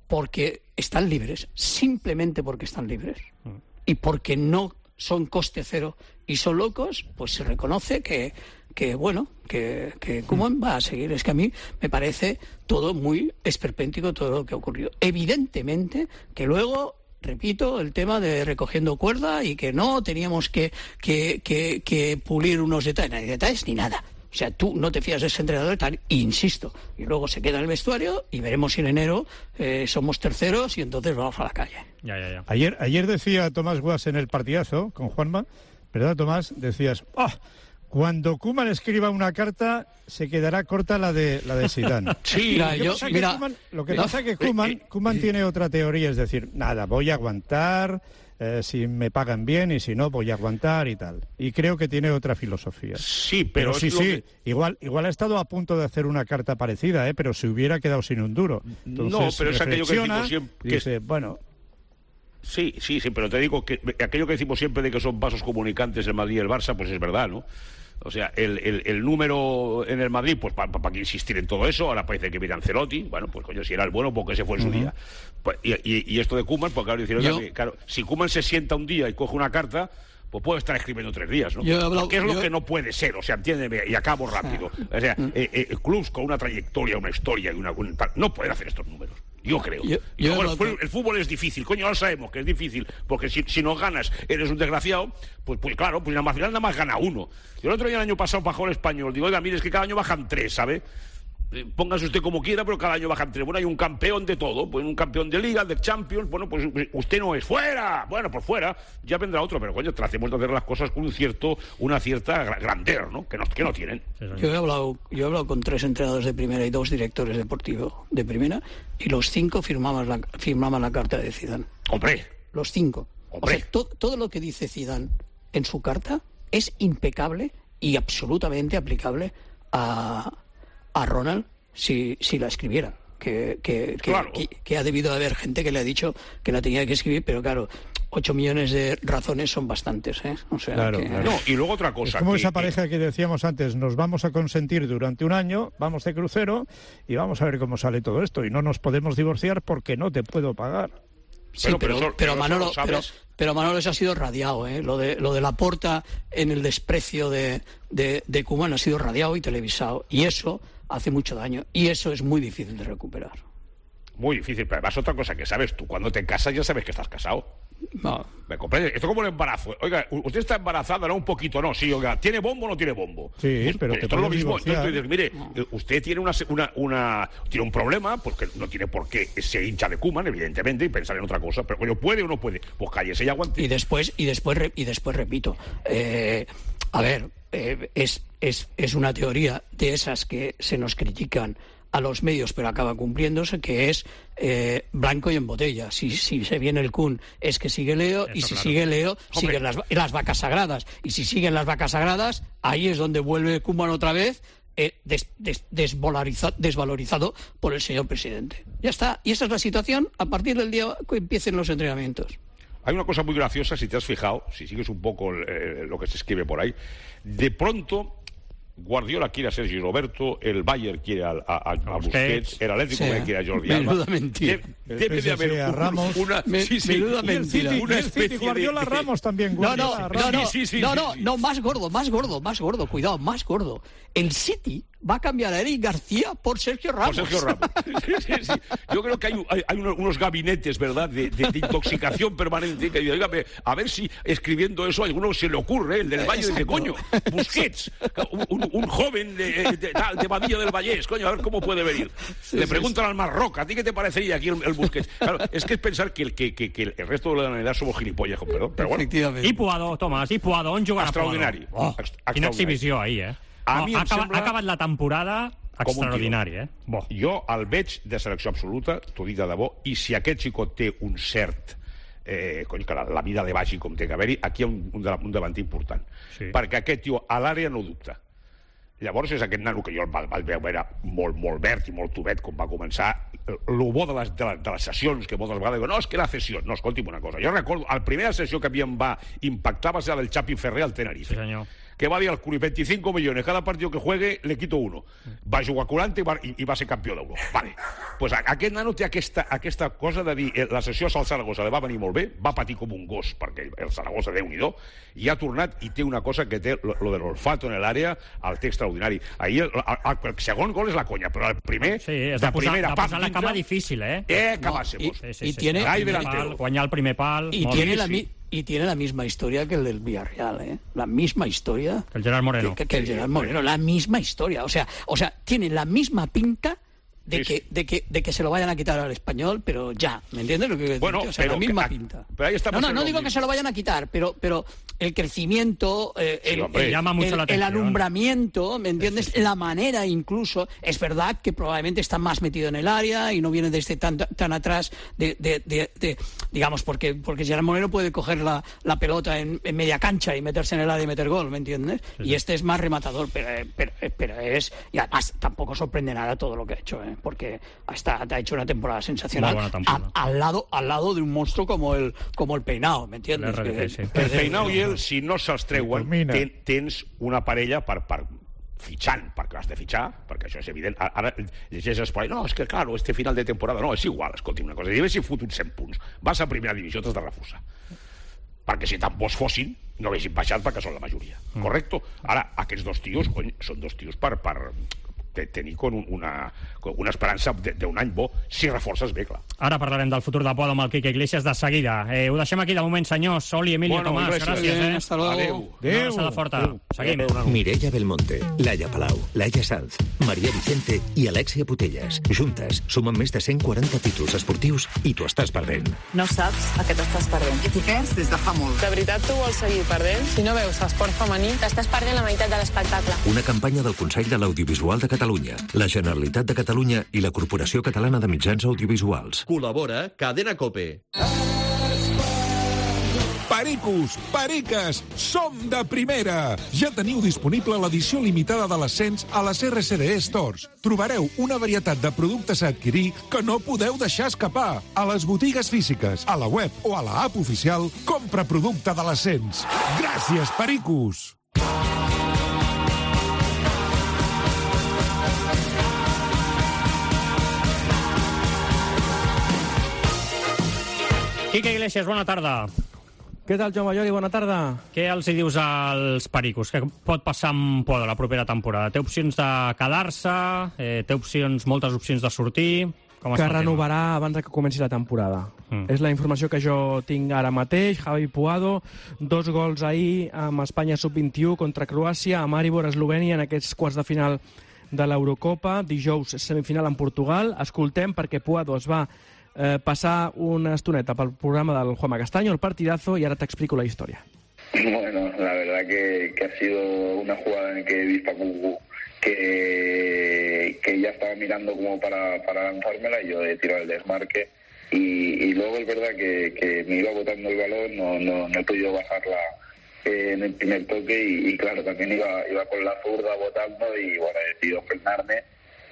porque están libres, simplemente porque están libres, y porque no son coste cero y son locos, pues se reconoce que Koeman va a seguir. Es que a mí me parece todo muy esperpéntico, todo lo que ha ocurrido. Evidentemente que luego, repito, el tema de recogiendo cuerda y que no teníamos que pulir unos detalles ni nada. O sea, tú no te fías de ese entrenador, tal, insisto. Y luego se queda en el vestuario y veremos si en enero somos terceros y entonces vamos a la calle. Ya. Ayer decía Tomás Guas en el partidazo con Juanma, ¿verdad, Tomás? Decías, Cuando Koeman escriba una carta, se quedará corta la de Zidane. Sí, lo que pasa es que Koeman tiene otra teoría, es decir, nada, voy a aguantar, si me pagan bien y si no, voy a aguantar y tal. Y creo que tiene otra filosofía. Sí, pero igual ha estado a punto de hacer una carta parecida, pero se hubiera quedado sin un duro. Entonces, no, pero es aquello que decimos siempre. Dice, bueno... Sí, pero te digo que aquello que decimos siempre de que son vasos comunicantes el Madrid y el Barça, pues es verdad, ¿no? O sea, el número en el Madrid, pues para qué insistir en todo eso. Ahora parece que viene Ancelotti. Bueno, pues coño, si era el bueno, porque ese fue en su día. Pues, y esto de Koeman, pues claro, decir, claro, si Koeman se sienta un día y coge una carta, pues puede estar escribiendo 3 días, ¿no? ¿Qué es lo que no puede ser? O sea, entiéndeme, y acabo rápido. O sea, clubs con una trayectoria, una historia y no pueden hacer estos números. Yo creo. El fútbol es difícil, coño, ahora sabemos que es difícil, porque si no ganas eres un desgraciado, pues claro, pues al final nada más gana uno. Yo el otro día, el año pasado, bajó el Español, digo, oiga, mire, es que cada año bajan 3, ¿sabe? Póngase usted como quiera, pero cada año bajan 3. Bueno, hay un campeón de todo, pues un campeón de Liga, de Champions, bueno, pues usted no es fuera. Bueno, pues fuera, ya vendrá otro, pero coño, tratemos de hacer las cosas con una cierta grandeur, ¿no? Que no tienen. Yo he hablado con 3 entrenadores de primera y 2 directores deportivos de primera, y los 5 firmaban la carta de Zidane. ¡Hombre! Los 5. ¡Hombre! O sea, todo lo que dice Zidane en su carta es impecable y absolutamente aplicable a Ronald si la escribiera. Que ha debido de haber gente que le ha dicho que la tenía que escribir, pero claro, 8 millones de razones son bastantes, ¿eh? O sea, claro. No, y luego otra cosa. Es como esa pareja que decíamos antes, nos vamos a consentir durante un año, vamos de crucero y vamos a ver cómo sale todo esto. Y no nos podemos divorciar porque no te puedo pagar. Sí, pero Manolo, eso ha sido radiado, ¿eh? Lo de Laporta en el desprecio de Koeman ha sido radiado y televisado. Y eso hace mucho daño. Y eso es muy difícil de recuperar. Muy difícil, pero además otra cosa que sabes tú, cuando te casas ya sabes que estás casado. No. ¿Me comprendes? Esto es como el embarazo. Oiga, usted está embarazada, ¿no? Un poquito, ¿no? Sí, oiga, ¿tiene bombo o no tiene bombo? Sí, pues, pero esto es lo mismo. Entonces tú dices, mire, usted tiene tiene un problema, porque no tiene por qué ser hincha de Koeman, evidentemente, y pensar en otra cosa, pero coño, ¿puede o no puede? Pues cállese y aguante. Y después repito, a ver, es una teoría de esas que se nos critican a los medios, pero acaba cumpliéndose, que es blanco y en botella. Si se viene el Kun, es que sigue Leo, y si sigue Leo, siguen las vacas sagradas. Y si siguen las vacas sagradas, ahí es donde vuelve Koeman otra vez, desvalorizado por el señor presidente. Ya está. Y esa es la situación a partir del día que empiecen los entrenamientos. Hay una cosa muy graciosa, si te has fijado, si sigues un poco lo que se escribe por ahí, de pronto Guardiola quiere a Sergi Roberto, el Bayern quiere a Busquets, el Atlético quiere a Jordi Alba. Menuda mentira. Debe de haber menuda mentira. Una especie de Guardiola Ramos también. No, más gordo, cuidado, más gordo. El City va a cambiar a Eric García por Sergio Ramos. Sí. Yo creo que hay unos gabinetes, ¿verdad?, de intoxicación permanente, que digo, a ver si escribiendo eso a alguno se le ocurre, el del Valle, dice, coño, Busquets, un joven de Badilla del Vallés, coño, a ver cómo puede venir. Le preguntan al Marroca, ¿a ti qué te parecería aquí el Busquets? Claro, es que es pensar que el resto de la humanidad somos gilipollas, perdón, pero bueno. I Puado, Tomàs, i Puado, on jugarà extraordinari. Quina exhibició ahir, eh? Ha acabat la temporada extraordinària, eh? Jo el veig de selecció absoluta, t'ho dic de debò, i si aquest xicot té un cert que la vida li vagi com té que haver-hi, aquí hi ha un davanter important, perquè aquest tio a l'àrea no dubta. Llavors és aquest nano que jo el vaig veure era molt verd i molt tubet com va començar. El bo de les sessions, que moltes vegades diuen, no, és que la sessió. No, escolti'm una cosa, jo recordo, la primera sessió que a mi em va impactar va ser la del Chapi Ferrer al Tenerife. Sí, senyor. Que va dir al Curi, 25 millones, cada partido que juegue le quito 1. Va jugar 40 i va ser campió d'Euro. Vale. Pues aquest nano té aquesta cosa de dir, la sessió al Saragossa li va venir molt bé, va patir com un gos, perquè el Saragossa, Déu-n'hi-do, i ha tornat i té una cosa que té, lo de l'olfato en l'àrea, el té extraordinari. Ahir el segon gol és la conya, però el primer, de primera, de posar la cama difícil, eh? Acabásemos. Guanyar el primer pal. Y tiene la misma historia que el del Villarreal, ¿eh? La misma historia. El Gerard Moreno. Que el Gerard Moreno, la misma historia. O sea, tiene la misma pinta de que se lo vayan a quitar al Español, pero ya, ¿me entiendes lo que bueno, o sea, la misma pinta. Pero ahí estamos no digo que se lo vayan a quitar, pero el crecimiento, el alumbramiento, ¿me entiendes? Sí. La manera incluso, es verdad que probablemente está más metido en el área y no viene desde tan atrás digamos, porque Gerard Moreno puede coger la pelota en media cancha y meterse en el área y meter gol, ¿me entiendes? Sí. Y este es más rematador, pero es... Y además tampoco sorprende nada todo lo que ha hecho, porque ha hecho una temporada sensacional al lado de un monstruo como el Peinao, ¿me entiendes? El Peinao i ell, si no se'ls treuen, tens una parella per fitxant, perquè has de fitxar, perquè això és evident. Ara llegeixes per ahí, no, és que claro, este final de temporada, no, és igual, escolti una cosa, si haguessin fotut 100 punts, vas a primera divisió, t'has de refusar. Perquè si tan bons fossin, no haguessin baixat perquè són la majoria, correcto? Ara, aquests dos tios, cony, són dos tios per tenir una esperança d'un any bo, si reforces bé, clar. Ara parlarem del futur de Puado amb el Quique Iglesias de seguida. Ho deixem aquí de moment, senyors. Oli, Emilio, Tomàs, gràcies. Hasta luego. Una abraçada forta. Seguim. Mireia Belmonte, Laia Palau, Laia Sanz, Maria Vicente i Alexia Putelles. Juntes, sumen més de 140 títols esportius i t'ho estàs perdent. No saps a què t'estàs perdent. I t'hi perds des de fa molt. De veritat tu vols seguir perdent? Si no veus esport femení, t'estàs perdent la meitat de l'espectacle. Una campanya del Consell de l'Audiovisual de Catalunya, la Generalitat de Catalunya i la Corporació Catalana de Mitjans Audiovisuals. Col·labora Cadena COPE. Pericos, periques, som de primera! Ja teniu disponible l'edició limitada de l'Ascens a les RCDE Stores. Trobareu una varietat de productes a adquirir que no podeu deixar escapar. A les botigues físiques, a la web o a la app oficial, compra producte de l'Ascens. Gràcies, pericos! Quique Iglesias, bona tarda. Què tal, Joan Mallori? Bona tarda. Què els hi dius als pericos? Què pot passar amb Puado la propera temporada? Té opcions de quedar-se? Té moltes opcions de sortir? Que renovarà abans que comenci la temporada. És la informació que jo tinc ara mateix. Javi Puado, 2 gols ahir amb Espanya sub-21 contra Croàcia, a Maribor, Eslovènia, en aquests quarts de final de l'Eurocopa. Dijous, semifinal en Portugal. Escoltem perquè Puado es va passar una estoneta pel programa del Juanma Castaño, el partidazo, y ahora te explico la historia. Bueno, la verdad que ha sido una jugada en que he visto a Cucu que ya estaba mirando como para lanzármela y yo he tirado el desmarque y luego es verdad que me iba botando el balón, no he podido bajarla en el primer toque y claro, también iba con la zurda botando y bueno, he decidido frenarme,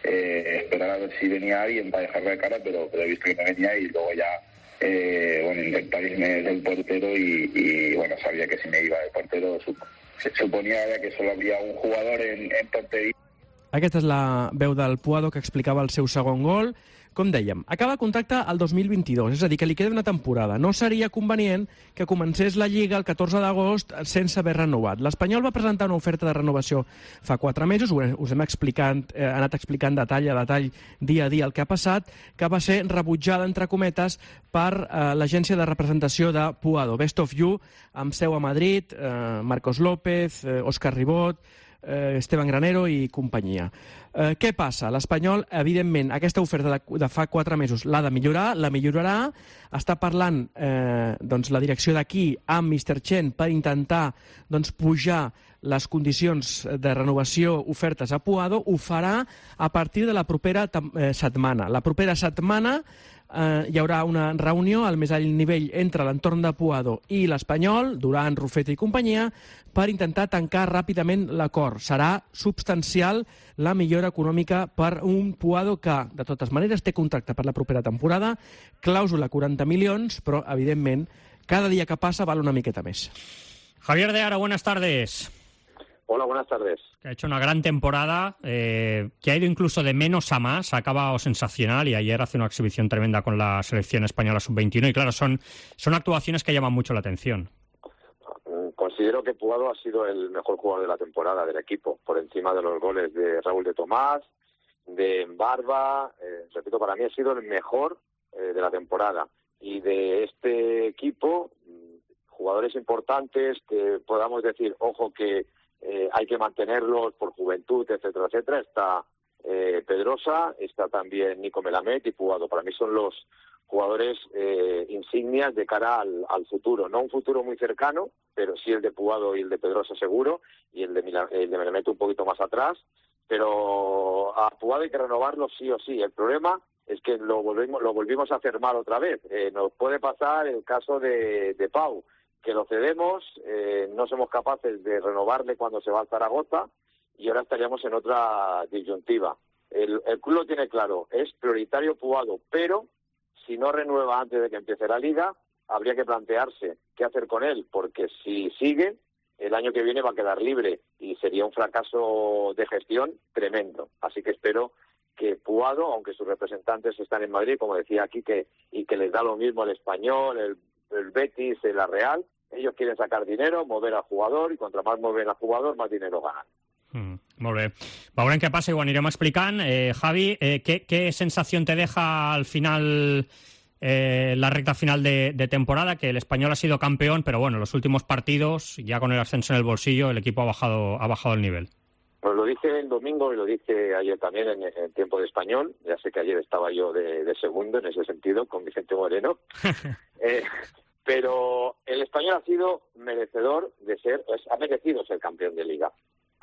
esperar a ver si venía alguien para dejarla de cara, pero he visto que no venía y luego ya intentar irme del portero y bueno, sabía que si me iba del portero suponía que solo había un jugador en portería. Aquesta és la veu del Puado que explicava el seu segon gol. Com dèiem, acaba el contracte el 2022, és a dir, que li queda una temporada. No seria convenient que comencés la Lliga el 14 d'agost sense haver renovat. L'Espanyol va presentar una oferta de renovació fa 4 mesos, us hem anat explicant detall a detall, dia a dia el que ha passat, que va ser rebutjada, entre cometes, per l'agència de representació de Puado, Best of You, amb seu a Madrid, Marcos López, Òscar Ribot, Esteban Granero i companyia. Què passa? L'Espanyol, evidentment, aquesta oferta de fa 4 mesos l'ha de millorar, la millorarà, està parlant la direcció d'aquí amb Mr. Chen per intentar pujar les condicions de renovació ofertes a Puado, ho farà a partir de la propera setmana. La propera setmana hi haurà una reunió al més alt nivell entre l'entorn de Puado i l'Espanyol, Duran, Rufete i companyia, per intentar tancar ràpidament l'acord. Serà substancial la millora econòmica per un Puado que, de totes maneres, té contracte per la propera temporada, clàusula 40 milions, però, evidentment, cada dia que passa val una miqueta més. Javier de Ara, buenas tardes. Hola, buenas tardes. Que ha hecho una gran temporada, que ha ido incluso de menos a más, ha acabado sensacional y ayer hace una exhibición tremenda con la selección española sub-21 y claro, son actuaciones que llaman mucho la atención. Considero que Puado ha sido el mejor jugador de la temporada del equipo, por encima de los goles de Raúl de Tomás, de Barba, repito, para mí ha sido el mejor de la temporada y de este equipo, jugadores importantes que podamos decir, ojo que hay que mantenerlos por juventud, etcétera, etcétera. Está Pedrosa, está también Nico Melamed y Puado. Para mí son los jugadores insignias de cara al futuro. No un futuro muy cercano, pero sí el de Puado y el de Pedrosa seguro, y el de Melemet un poquito más atrás. Pero a Puado hay que renovarlo sí o sí. El problema es que lo volvimos a hacer mal otra vez. Nos puede pasar el caso de Pau, que lo cedemos, no somos capaces de renovarle cuando se va al Zaragoza y ahora estaríamos en otra disyuntiva. El club lo tiene claro, es prioritario Puado, pero si no renueva antes de que empiece la Liga, habría que plantearse qué hacer con él, porque si sigue, el año que viene va a quedar libre y sería un fracaso de gestión tremendo. Así que espero que Puado, aunque sus representantes están en Madrid, como decía aquí, y que les da lo mismo el Español, el Betis, la Real, ellos quieren sacar dinero, mover al jugador, y contra más mueven al jugador, más dinero ganan. Molt bé. Veurem què passa i ho anirem explicant. Javi, ¿qué sensación te deja al final la recta final de temporada? Que el Español ha sido campeón, pero bueno, los últimos partidos, ya con el ascenso en el bolsillo, el equipo ha bajado el nivel. Pues lo dije el domingo y lo dije ayer también en tiempo de Español. Ya sé que ayer estaba yo de segundo en ese sentido, con Vicente Moreno. Pero el Español ha sido merecedor ha merecido ser campeón de Liga.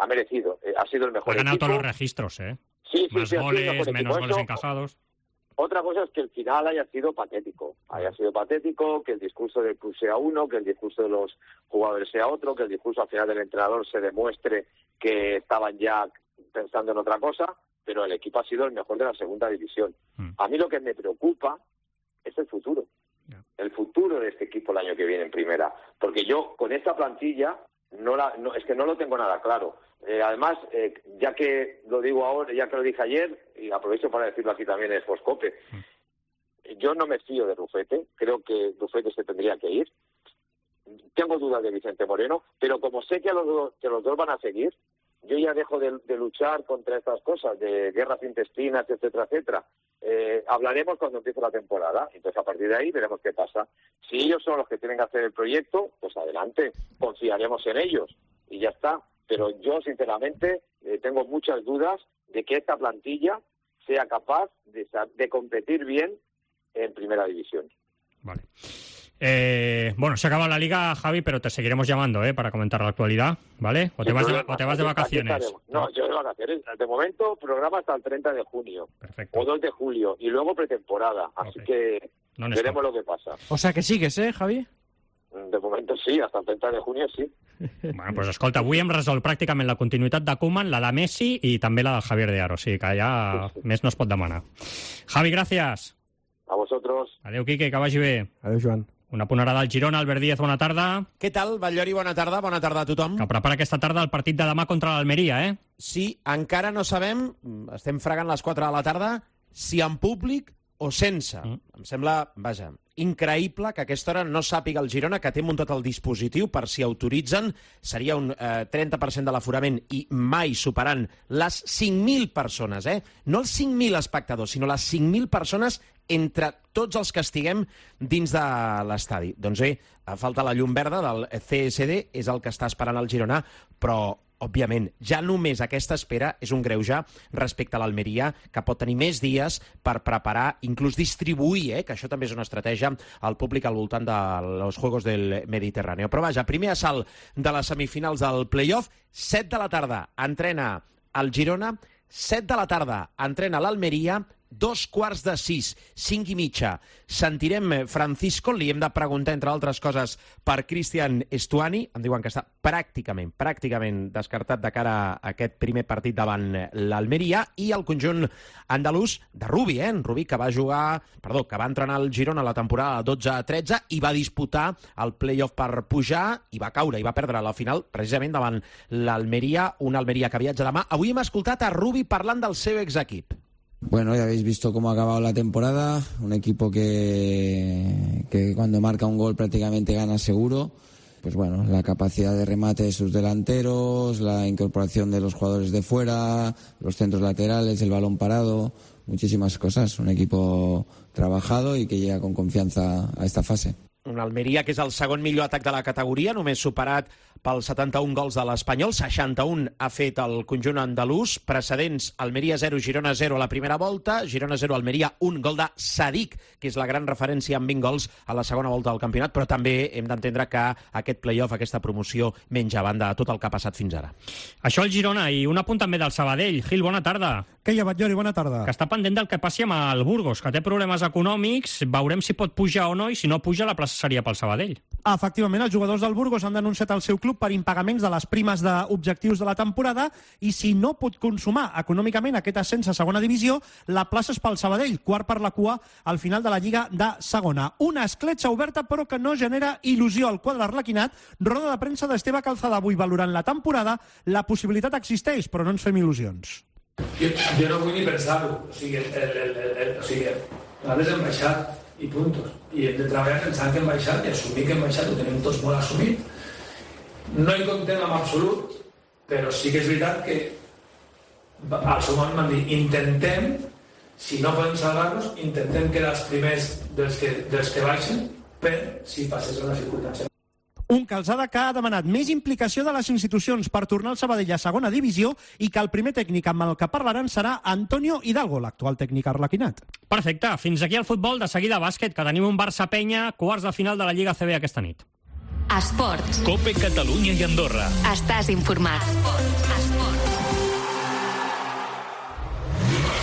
Ha merecido, ha sido el mejor equipo. Ha ganado todos los registros, ¿eh? Sí, más goles, menos goles encajados. Otra cosa es que el final haya sido patético. Que el discurso del club sea uno, que el discurso de los jugadores sea otro, que el discurso al final del entrenador se demuestre que estaban ya pensando en otra cosa, pero el equipo ha sido el mejor de la segunda división. A mí lo que me preocupa es el futuro. El futuro de este equipo el año que viene en primera. Porque yo, con esta plantilla, es que no lo tengo nada claro. Además, ya que lo digo ahora, ya que lo dije ayer, y aprovecho para decirlo aquí también en Foscope, yo no me fío de Rufete, creo que Rufete se tendría que ir. Tengo dudas de Vicente Moreno, pero como sé que los dos van a seguir, yo ya dejo de luchar contra estas cosas, de guerras intestinas, etcétera, etcétera. Hablaremos cuando empiece la temporada, entonces a partir de ahí veremos qué pasa. Si ellos son los que tienen que hacer el proyecto, pues adelante, confiaremos en ellos y ya está. Pero yo, sinceramente, tengo muchas dudas de que esta plantilla sea capaz de competir bien en primera división. Vale. Bueno, se acaba la Liga, Javi, pero te seguiremos llamando para comentar la actualidad, ¿vale? ¿O te vas de vacaciones? No, yo de vacaciones. De momento, programa hasta el 30 de junio. Perfecto. O 2 de julio. Y luego pretemporada. Así que veremos lo que pasa. O sea que sigues, Javi? De momento sí, hasta el 30 de junio sí. Bueno, pues escolta, avui hem resolt pràcticament la continuïtat de Koeman, la de Messi i també la del Javier de Aro, o sigui que ja més no es pot demanar. Javi, gràcies. A vosotros. Adéu, Quique, que vagi bé. Adéu, Joan. Una ponderada al Girona, Albert Díaz, bona tarda. Què tal, Batllori, bona tarda a tothom. Que prepara aquesta tarda el partit de demà contra l'Almeria, eh? Sí, encara no sabem, estem fregant les 4 de la tarda, si en públic o sense. Em sembla, vaja, increïble que a aquesta hora no sàpiga el Girona que té muntat el dispositiu per si autoritzen. Seria un 30% de l'aforament i mai superant les 5.000 persones, No els 5.000 espectadors, sinó les 5.000 persones entre tots els que estiguem dins de l'estadi. Doncs bé, falta la llum verda del CSD, és el que està esperant el Girona, però òbviament, ja només aquesta espera és un greuge respecte a l'Almeria, que pot tenir més dies per preparar, inclús distribuir, que això també és una estratègia, al públic al voltant dels Juegos del Mediterrani. Però vaja, primer assalt de les semifinals del play-off, 7 de la tarda entrena el Girona, 7 de la tarda entrena l'Almeria, 5:15, 5:30. Sentirem Francisco, li hem de preguntar, entre altres coses, per Cristian Estuani. Em diuen que està pràcticament descartat de cara a aquest primer partit davant l'Almeria, i el conjunt andalús de Rubi, en Rubi, que va entrenar el Girona la temporada 12-13 i va disputar el play-off per pujar i va caure i va perdre la final precisament davant l'Almeria, una Almeria que viatja demà. Avui hem escoltat a Rubi parlant del seu exequip. Bueno, ya habéis visto cómo ha acabado la temporada, un equipo que cuando marca un gol prácticamente gana seguro. Pues bueno, la capacidad de remate de sus delanteros, la incorporación de los jugadores de fuera, los centros laterales, el balón parado, muchísimas cosas. Un equipo trabajado y que llega con confianza a esta fase. Un Almeria que és el segon millor atac de la categoria, només superat pels 71 gols de l'Espanyol, 61 ha fet el conjunt andalús, precedents Almeria 0, Girona 0 a la primera volta, Girona 0, Almeria 1, gol de Sadik, que és la gran referència amb 20 gols a la segona volta del campionat, però també hem d'entendre que aquest play-off, aquesta promoció, menja a banda tot el que ha passat fins ara. Això el Girona, i un apunt també del Sabadell. Gil, bona tarda. Què hi ha, Batllori? Bona tarda. Que està pendent del que passi amb el Burgos, que té problemes econòmics, veurem si pot pujar o no, i si no puja la plaça seria pel Sabadell. Efectivament, els jugadors del Burgos han denunciat el seu club per impagaments de les primes d'objectius de la temporada i si no pot consumar econòmicament aquest ascens a segona divisió, la plaça és pel Sabadell, quart per la cua al final de la Lliga de segona. Una escletxa oberta però que no genera il·lusió al quadre arlequinat. Roda de premsa d'Esteve Calzada avui valorant la temporada. La possibilitat existeix, però no ens fem il·lusions. Jo no vull ni pensar-ho. O sigui, nosaltres hem baixat i puntos. I hem de treballar pensant que hem baixat i assumir que hem baixat, ho tenim tots molt assumit. No hi comptem en absolut, però sí que és veritat que al seu moment van dir intentem, si no podem salvar-nos, intentem quedar els primers dels que baixen per si passés una circumstància. Un Calzada que ha demanat més implicació de les institucions per tornar el Sabadell a segona divisió i que el primer tècnic amb el que parlaran serà Antonio Hidalgo, l'actual tècnic arlequinat. Perfecte. Fins aquí el futbol. De seguida bàsquet, que tenim un Barça-Penya, quarts de final de la Lliga CB aquesta nit. Esports. COPE Catalunya i Andorra. Estàs informat.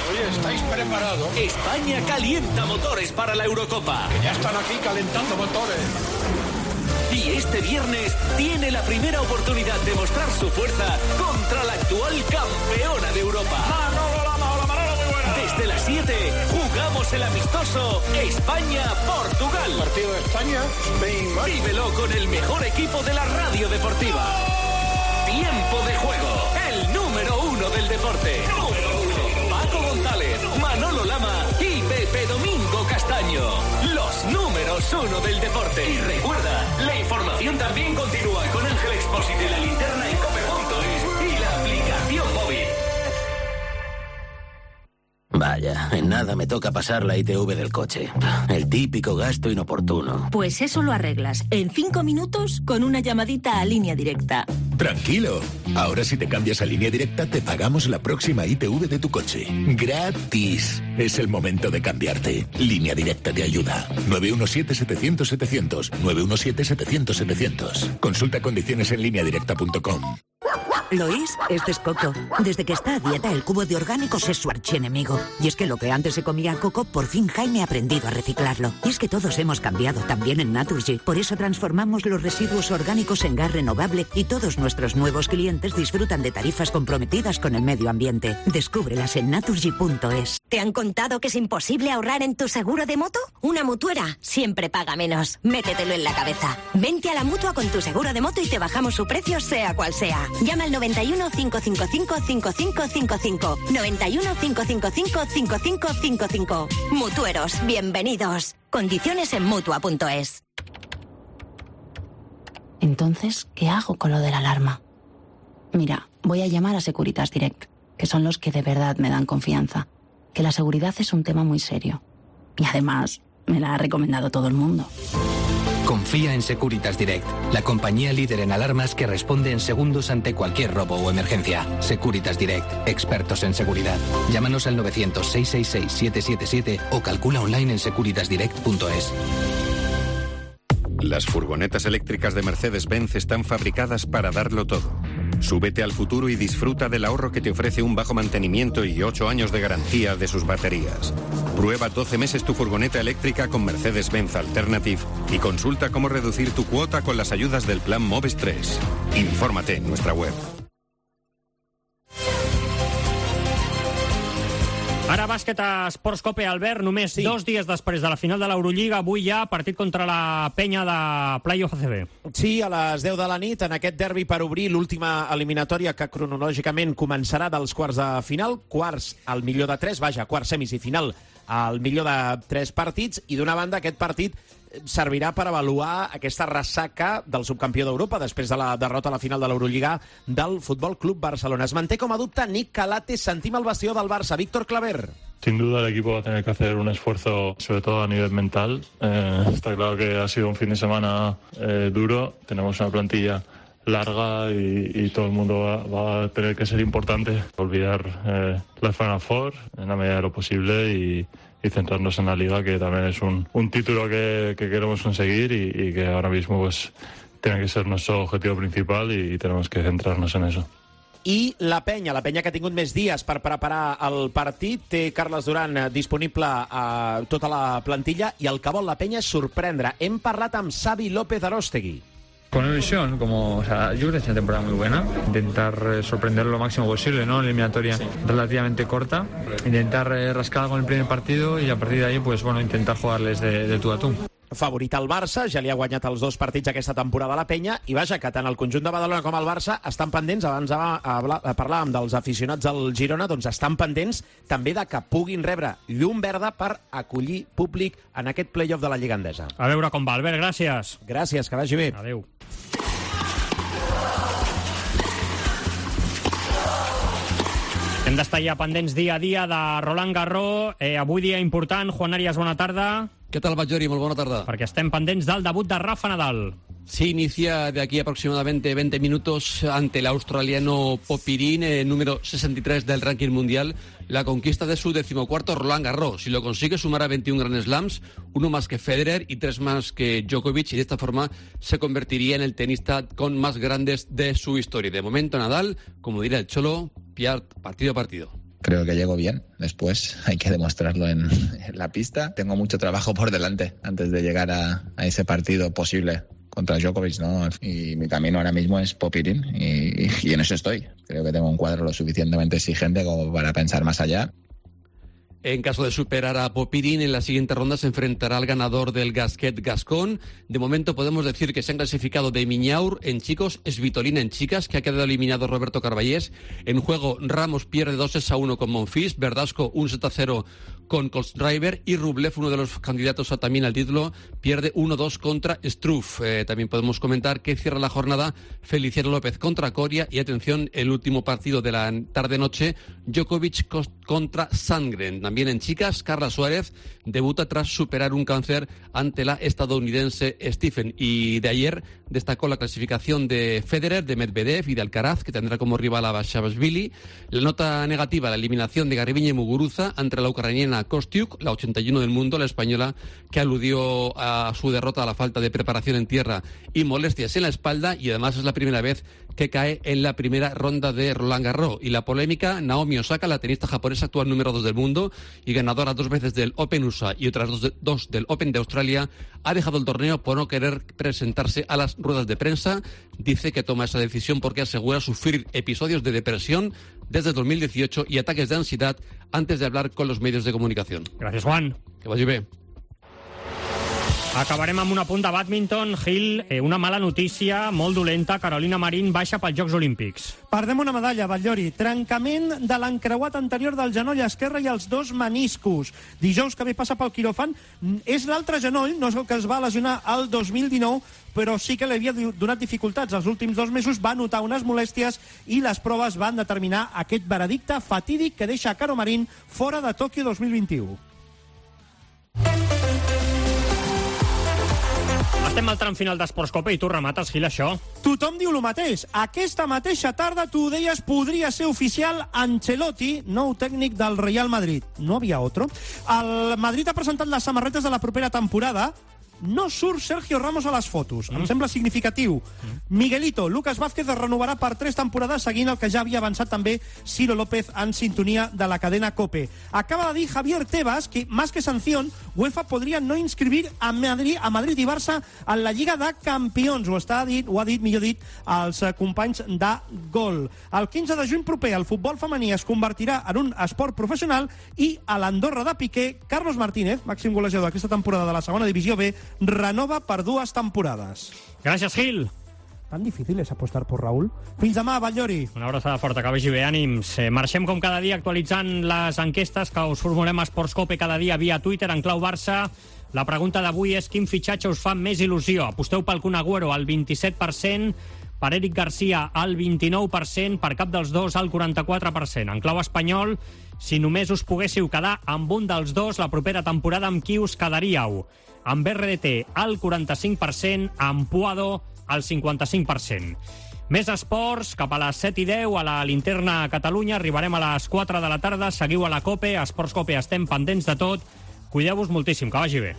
Oye, ¿estáis preparados? España calienta motores para la Eurocopa. Que ya están aquí calentando motores. Y este viernes tiene la primera oportunidad de mostrar su fuerza contra la actual campeona de Europa. Manolo, muy buena. Desde las 7 jugamos el amistoso España-Portugal. Partido de España, Spain. Vívelo con el mejor equipo de la radio deportiva. Tiempo de juego, el número 1 del deporte. Paco González, Manolo Lama y Pepe Domingo Castaño. Los números 1 del deporte. Y recuerda, la información también continúa con Ángel Expósito y la linterna en cope.es y la aplicación móvil. Vaya, en nada me toca pasar la ITV del coche. El típico gasto inoportuno. Pues eso lo arreglas en 5 minutos con una llamadita a Línea Directa. Tranquilo. Ahora si te cambias a Línea Directa te pagamos la próxima ITV de tu coche. ¡Gratis! Es el momento de cambiarte. Línea Directa te ayuda. 917-700-700. 917-700-700. Consulta condiciones en lineadirecta.com. Lois, este es Coco. Desde que está a dieta, el cubo de orgánicos es su archienemigo. Y es que lo que antes se comía Coco, por fin Jaime ha aprendido a reciclarlo. Y es que todos hemos cambiado, también en Naturgy. Por eso transformamos los residuos orgánicos en gas renovable y todos nuestros nuevos clientes disfrutan de tarifas comprometidas con el medio ambiente. Descúbrelas en naturgy.es. ¿Te han contado que es imposible ahorrar en tu seguro de moto? Una mutuera siempre paga menos. Métetelo en la cabeza. Vente a la Mutua con tu seguro de moto y te bajamos su precio sea cual sea. Llama al 91 555 5555. 91 555 5555. Mutueros, bienvenidos. Condiciones en Mutua.es. Entonces, ¿qué hago con lo de la alarma? Mira, voy a llamar a Securitas Direct, que son los que de verdad me dan confianza. Que la seguridad es un tema muy serio. Y además, me la ha recomendado todo el mundo. Confía en Securitas Direct, la compañía líder en alarmas que responde en segundos ante cualquier robo o emergencia. Securitas Direct, expertos en seguridad. Llámanos al 900-666-777 o calcula online en securitasdirect.es. Las furgonetas eléctricas de Mercedes-Benz están fabricadas para darlo todo. Súbete al futuro y disfruta del ahorro que te ofrece un bajo mantenimiento y 8 años de garantía de sus baterías. Prueba 12 meses tu furgoneta eléctrica con Mercedes-Benz Alternative y consulta cómo reducir tu cuota con las ayudas del plan Moves 3. Infórmate en nuestra web. Ara bàsquet a Esports Cope, Albert, només 2 dies després de la final de l'Eurolliga, avui ja partit contra la Penya de Playoff ACB. Sí, a les 10 de la nit, en aquest derbi per obrir l'última eliminatòria que cronològicament començarà dels quarts de final, quarts al millor de 3, quarts semis i final al millor de 3 partits, i d'una banda aquest partit servirà per avaluar aquesta ressaca del subcampió d'Europa després de la derrota a la final de l'Eurolliga del Futbol Club Barcelona. Es manté com a dubte Nick Calate, sentim el bastió del Barça, Víctor Claver. Sin duda el equipo va a tener que hacer un esfuerzo, sobre todo a nivel mental. Está claro que ha sido un fin de semana duro. Tenemos una plantilla larga y todo el mundo va a tener que ser importante. Olvidar la Final Four en la medida de lo posible y centrarnos en la Liga, que también es un título que queremos conseguir y que ahora mismo pues tiene que ser nuestro objetivo principal y tenemos que centrarnos en eso. I la penya que ha tingut més dies per preparar el partit, té Carles Duran disponible a tota la plantilla i el que vol la penya és sorprendre. Hem parlat amb Xavi López Aróstegui. Con ilusión, yo creo que es una temporada muy buena. Intentar sorprender lo máximo posible, ¿no? En eliminatoria relativamente corta. Intentar rascar con el primer partido y a partir de ahí, pues bueno, intentar jugarles de tú a tú. Favorit al Barça, ja li ha guanyat els 2 partits aquesta temporada a la penya, i vaja, que tant el conjunt de Badalona com el Barça estan pendents, abans parlàvem dels aficionats del Girona, doncs estan pendents també de que puguin rebre llum verda per acollir públic en aquest play-off de la Lliga Endesa. A veure com va, Albert, gràcies. Gràcies, que vagi bé. Adéu. Hem d'estar ja pendents dia a dia de Roland Garros. Avui dia important. Juan Arias, bona tarda. ¿Qué tal, Batllori? Muy buena tarde. Perquè estem pendents del debut de Rafa Nadal. Sí, inicia de aquí aproximadamente 20 minutos ante el australiano Popyrin, número 63 del ranking mundial, la conquista de su 14º Roland Garros. Si lo consigue, sumará 21 Grand Slams, uno más que Federer y 3 más que Djokovic, y de esta forma se convertiría en el tenista con más grandes de su historia. De momento, Nadal, como dirá el Cholo, partido a partido. Creo que llego bien, después hay que demostrarlo en la pista. Tengo mucho trabajo por delante antes de llegar a ese partido posible contra Djokovic, ¿no? Y mi camino ahora mismo es Popyrin y en eso estoy. Creo que tengo un cuadro lo suficientemente exigente como para pensar más allá. En caso de superar a Popyrin, en la siguiente ronda se enfrentará al ganador del Gasquet Gascón. De momento podemos decir que se han clasificado de Miñaur en chicos, Svitolina en chicas, que ha quedado eliminado Roberto Carballés. En juego, Ramos pierde 2-1 con Monfils, Verdasco 1-0 con Kohlschreiber y Rublev, uno de los candidatos también al título, pierde 1-2 contra Struff. También podemos comentar que cierra la jornada Feliciano López contra Coria y, atención, el último partido de la tarde-noche, Djokovic contra Sandgren. También en chicas, Carla Suárez debuta tras superar un cáncer ante la estadounidense Stephen. Y de ayer destacó la clasificación de Federer, de Medvedev y de Alcaraz, que tendrá como rival a Basilashvili. La nota negativa, la eliminación de Garbiñe y Muguruza ante la ucraniana Kostyuk, la 81 del mundo, la española, que aludió a su derrota a la falta de preparación en tierra y molestias en la espalda, y además es la primera vez que cae en la primera ronda de Roland Garros. Y la polémica, Naomi Osaka, la tenista japonesa actual número 2 del mundo y ganadora 2 veces del Open USA y otras dos del Open de Australia, ha dejado el torneo por no querer presentarse a las ruedas de prensa. Dice que toma esa decisión porque asegura sufrir episodios de depresión desde 2018 y ataques de ansiedad antes de hablar con los medios de comunicación. Gràcies, Juan. Que vagi bé. Acabarem amb un apunt de bàdminton. Gil, una mala notícia, molt dolenta. Carolina Marín baixa pels Jocs Olímpics. Perdem una medalla, Batllori. Trencament de l'encreuat anterior del genoll esquerre i els 2 meniscos. Dijous que ve passa pel quiròfan. És l'altre genoll, no és el que es va lesionar el 2019, però sí que li havia donat dificultats. Els últims 2 mesos va notar unes molèsties i les proves van determinar aquest veredicte fatídic que deixa a Caro Marín fora de Tòquio 2021. Estem al tram final d'Esports Copa i tu remates, Gil, això. Tothom diu el mateix. Aquesta mateixa tarda, tu ho deies, podria ser oficial Ancelotti, nou tècnic del Real Madrid. No havia otro. El Madrid ha presentat les samarretes de la propera temporada. No surt Sergio Ramos a les fotos. Em sembla significatiu. Miguelito, Lucas Vázquez es renovarà per 3 temporades, seguint el que ja havia avançat també Ciro López en sintonia de la cadena COPE. Acaba de dir Javier Tebas que, más que sanción, UEFA podria no inscribir a Madrid i Barça en la Lliga de Campions. Ho ha dit, millor dit, als companys de Gol. El 15 de juny proper, el futbol femení es convertirà en un esport professional i a l'Andorra de Piqué, Carlos Martínez, màxim golejador aquesta temporada de la segona divisió B, renova per 2 temporades. Gràcies, Gil. Tan difícil és apostar por Raúl. Fins demà, Batllori. Una abraçada forta, que vagi bé, ànims. Marxem com cada dia actualitzant les enquestes que us formulem a Esports Cope cada dia via Twitter en clau Barça. La pregunta d'avui és quin fitxatge us fa més il·lusió. Aposteu pel Kun Agüero al 27%, per Eric Garcia al 29%, per cap dels dos al 44%. En clau espanyol, si només us poguéssiu quedar amb un dels dos la propera temporada, amb qui us quedaríeu? Amb RDT al 45%, amb Puado al 55%. Més esports, cap a les 7:10 a la Linterna Catalunya. Arribarem a les 4 de la tarda. Seguiu a la COPE, a Esports COPE estem pendents de tot. Cuideu-vos moltíssim, que vagi bé.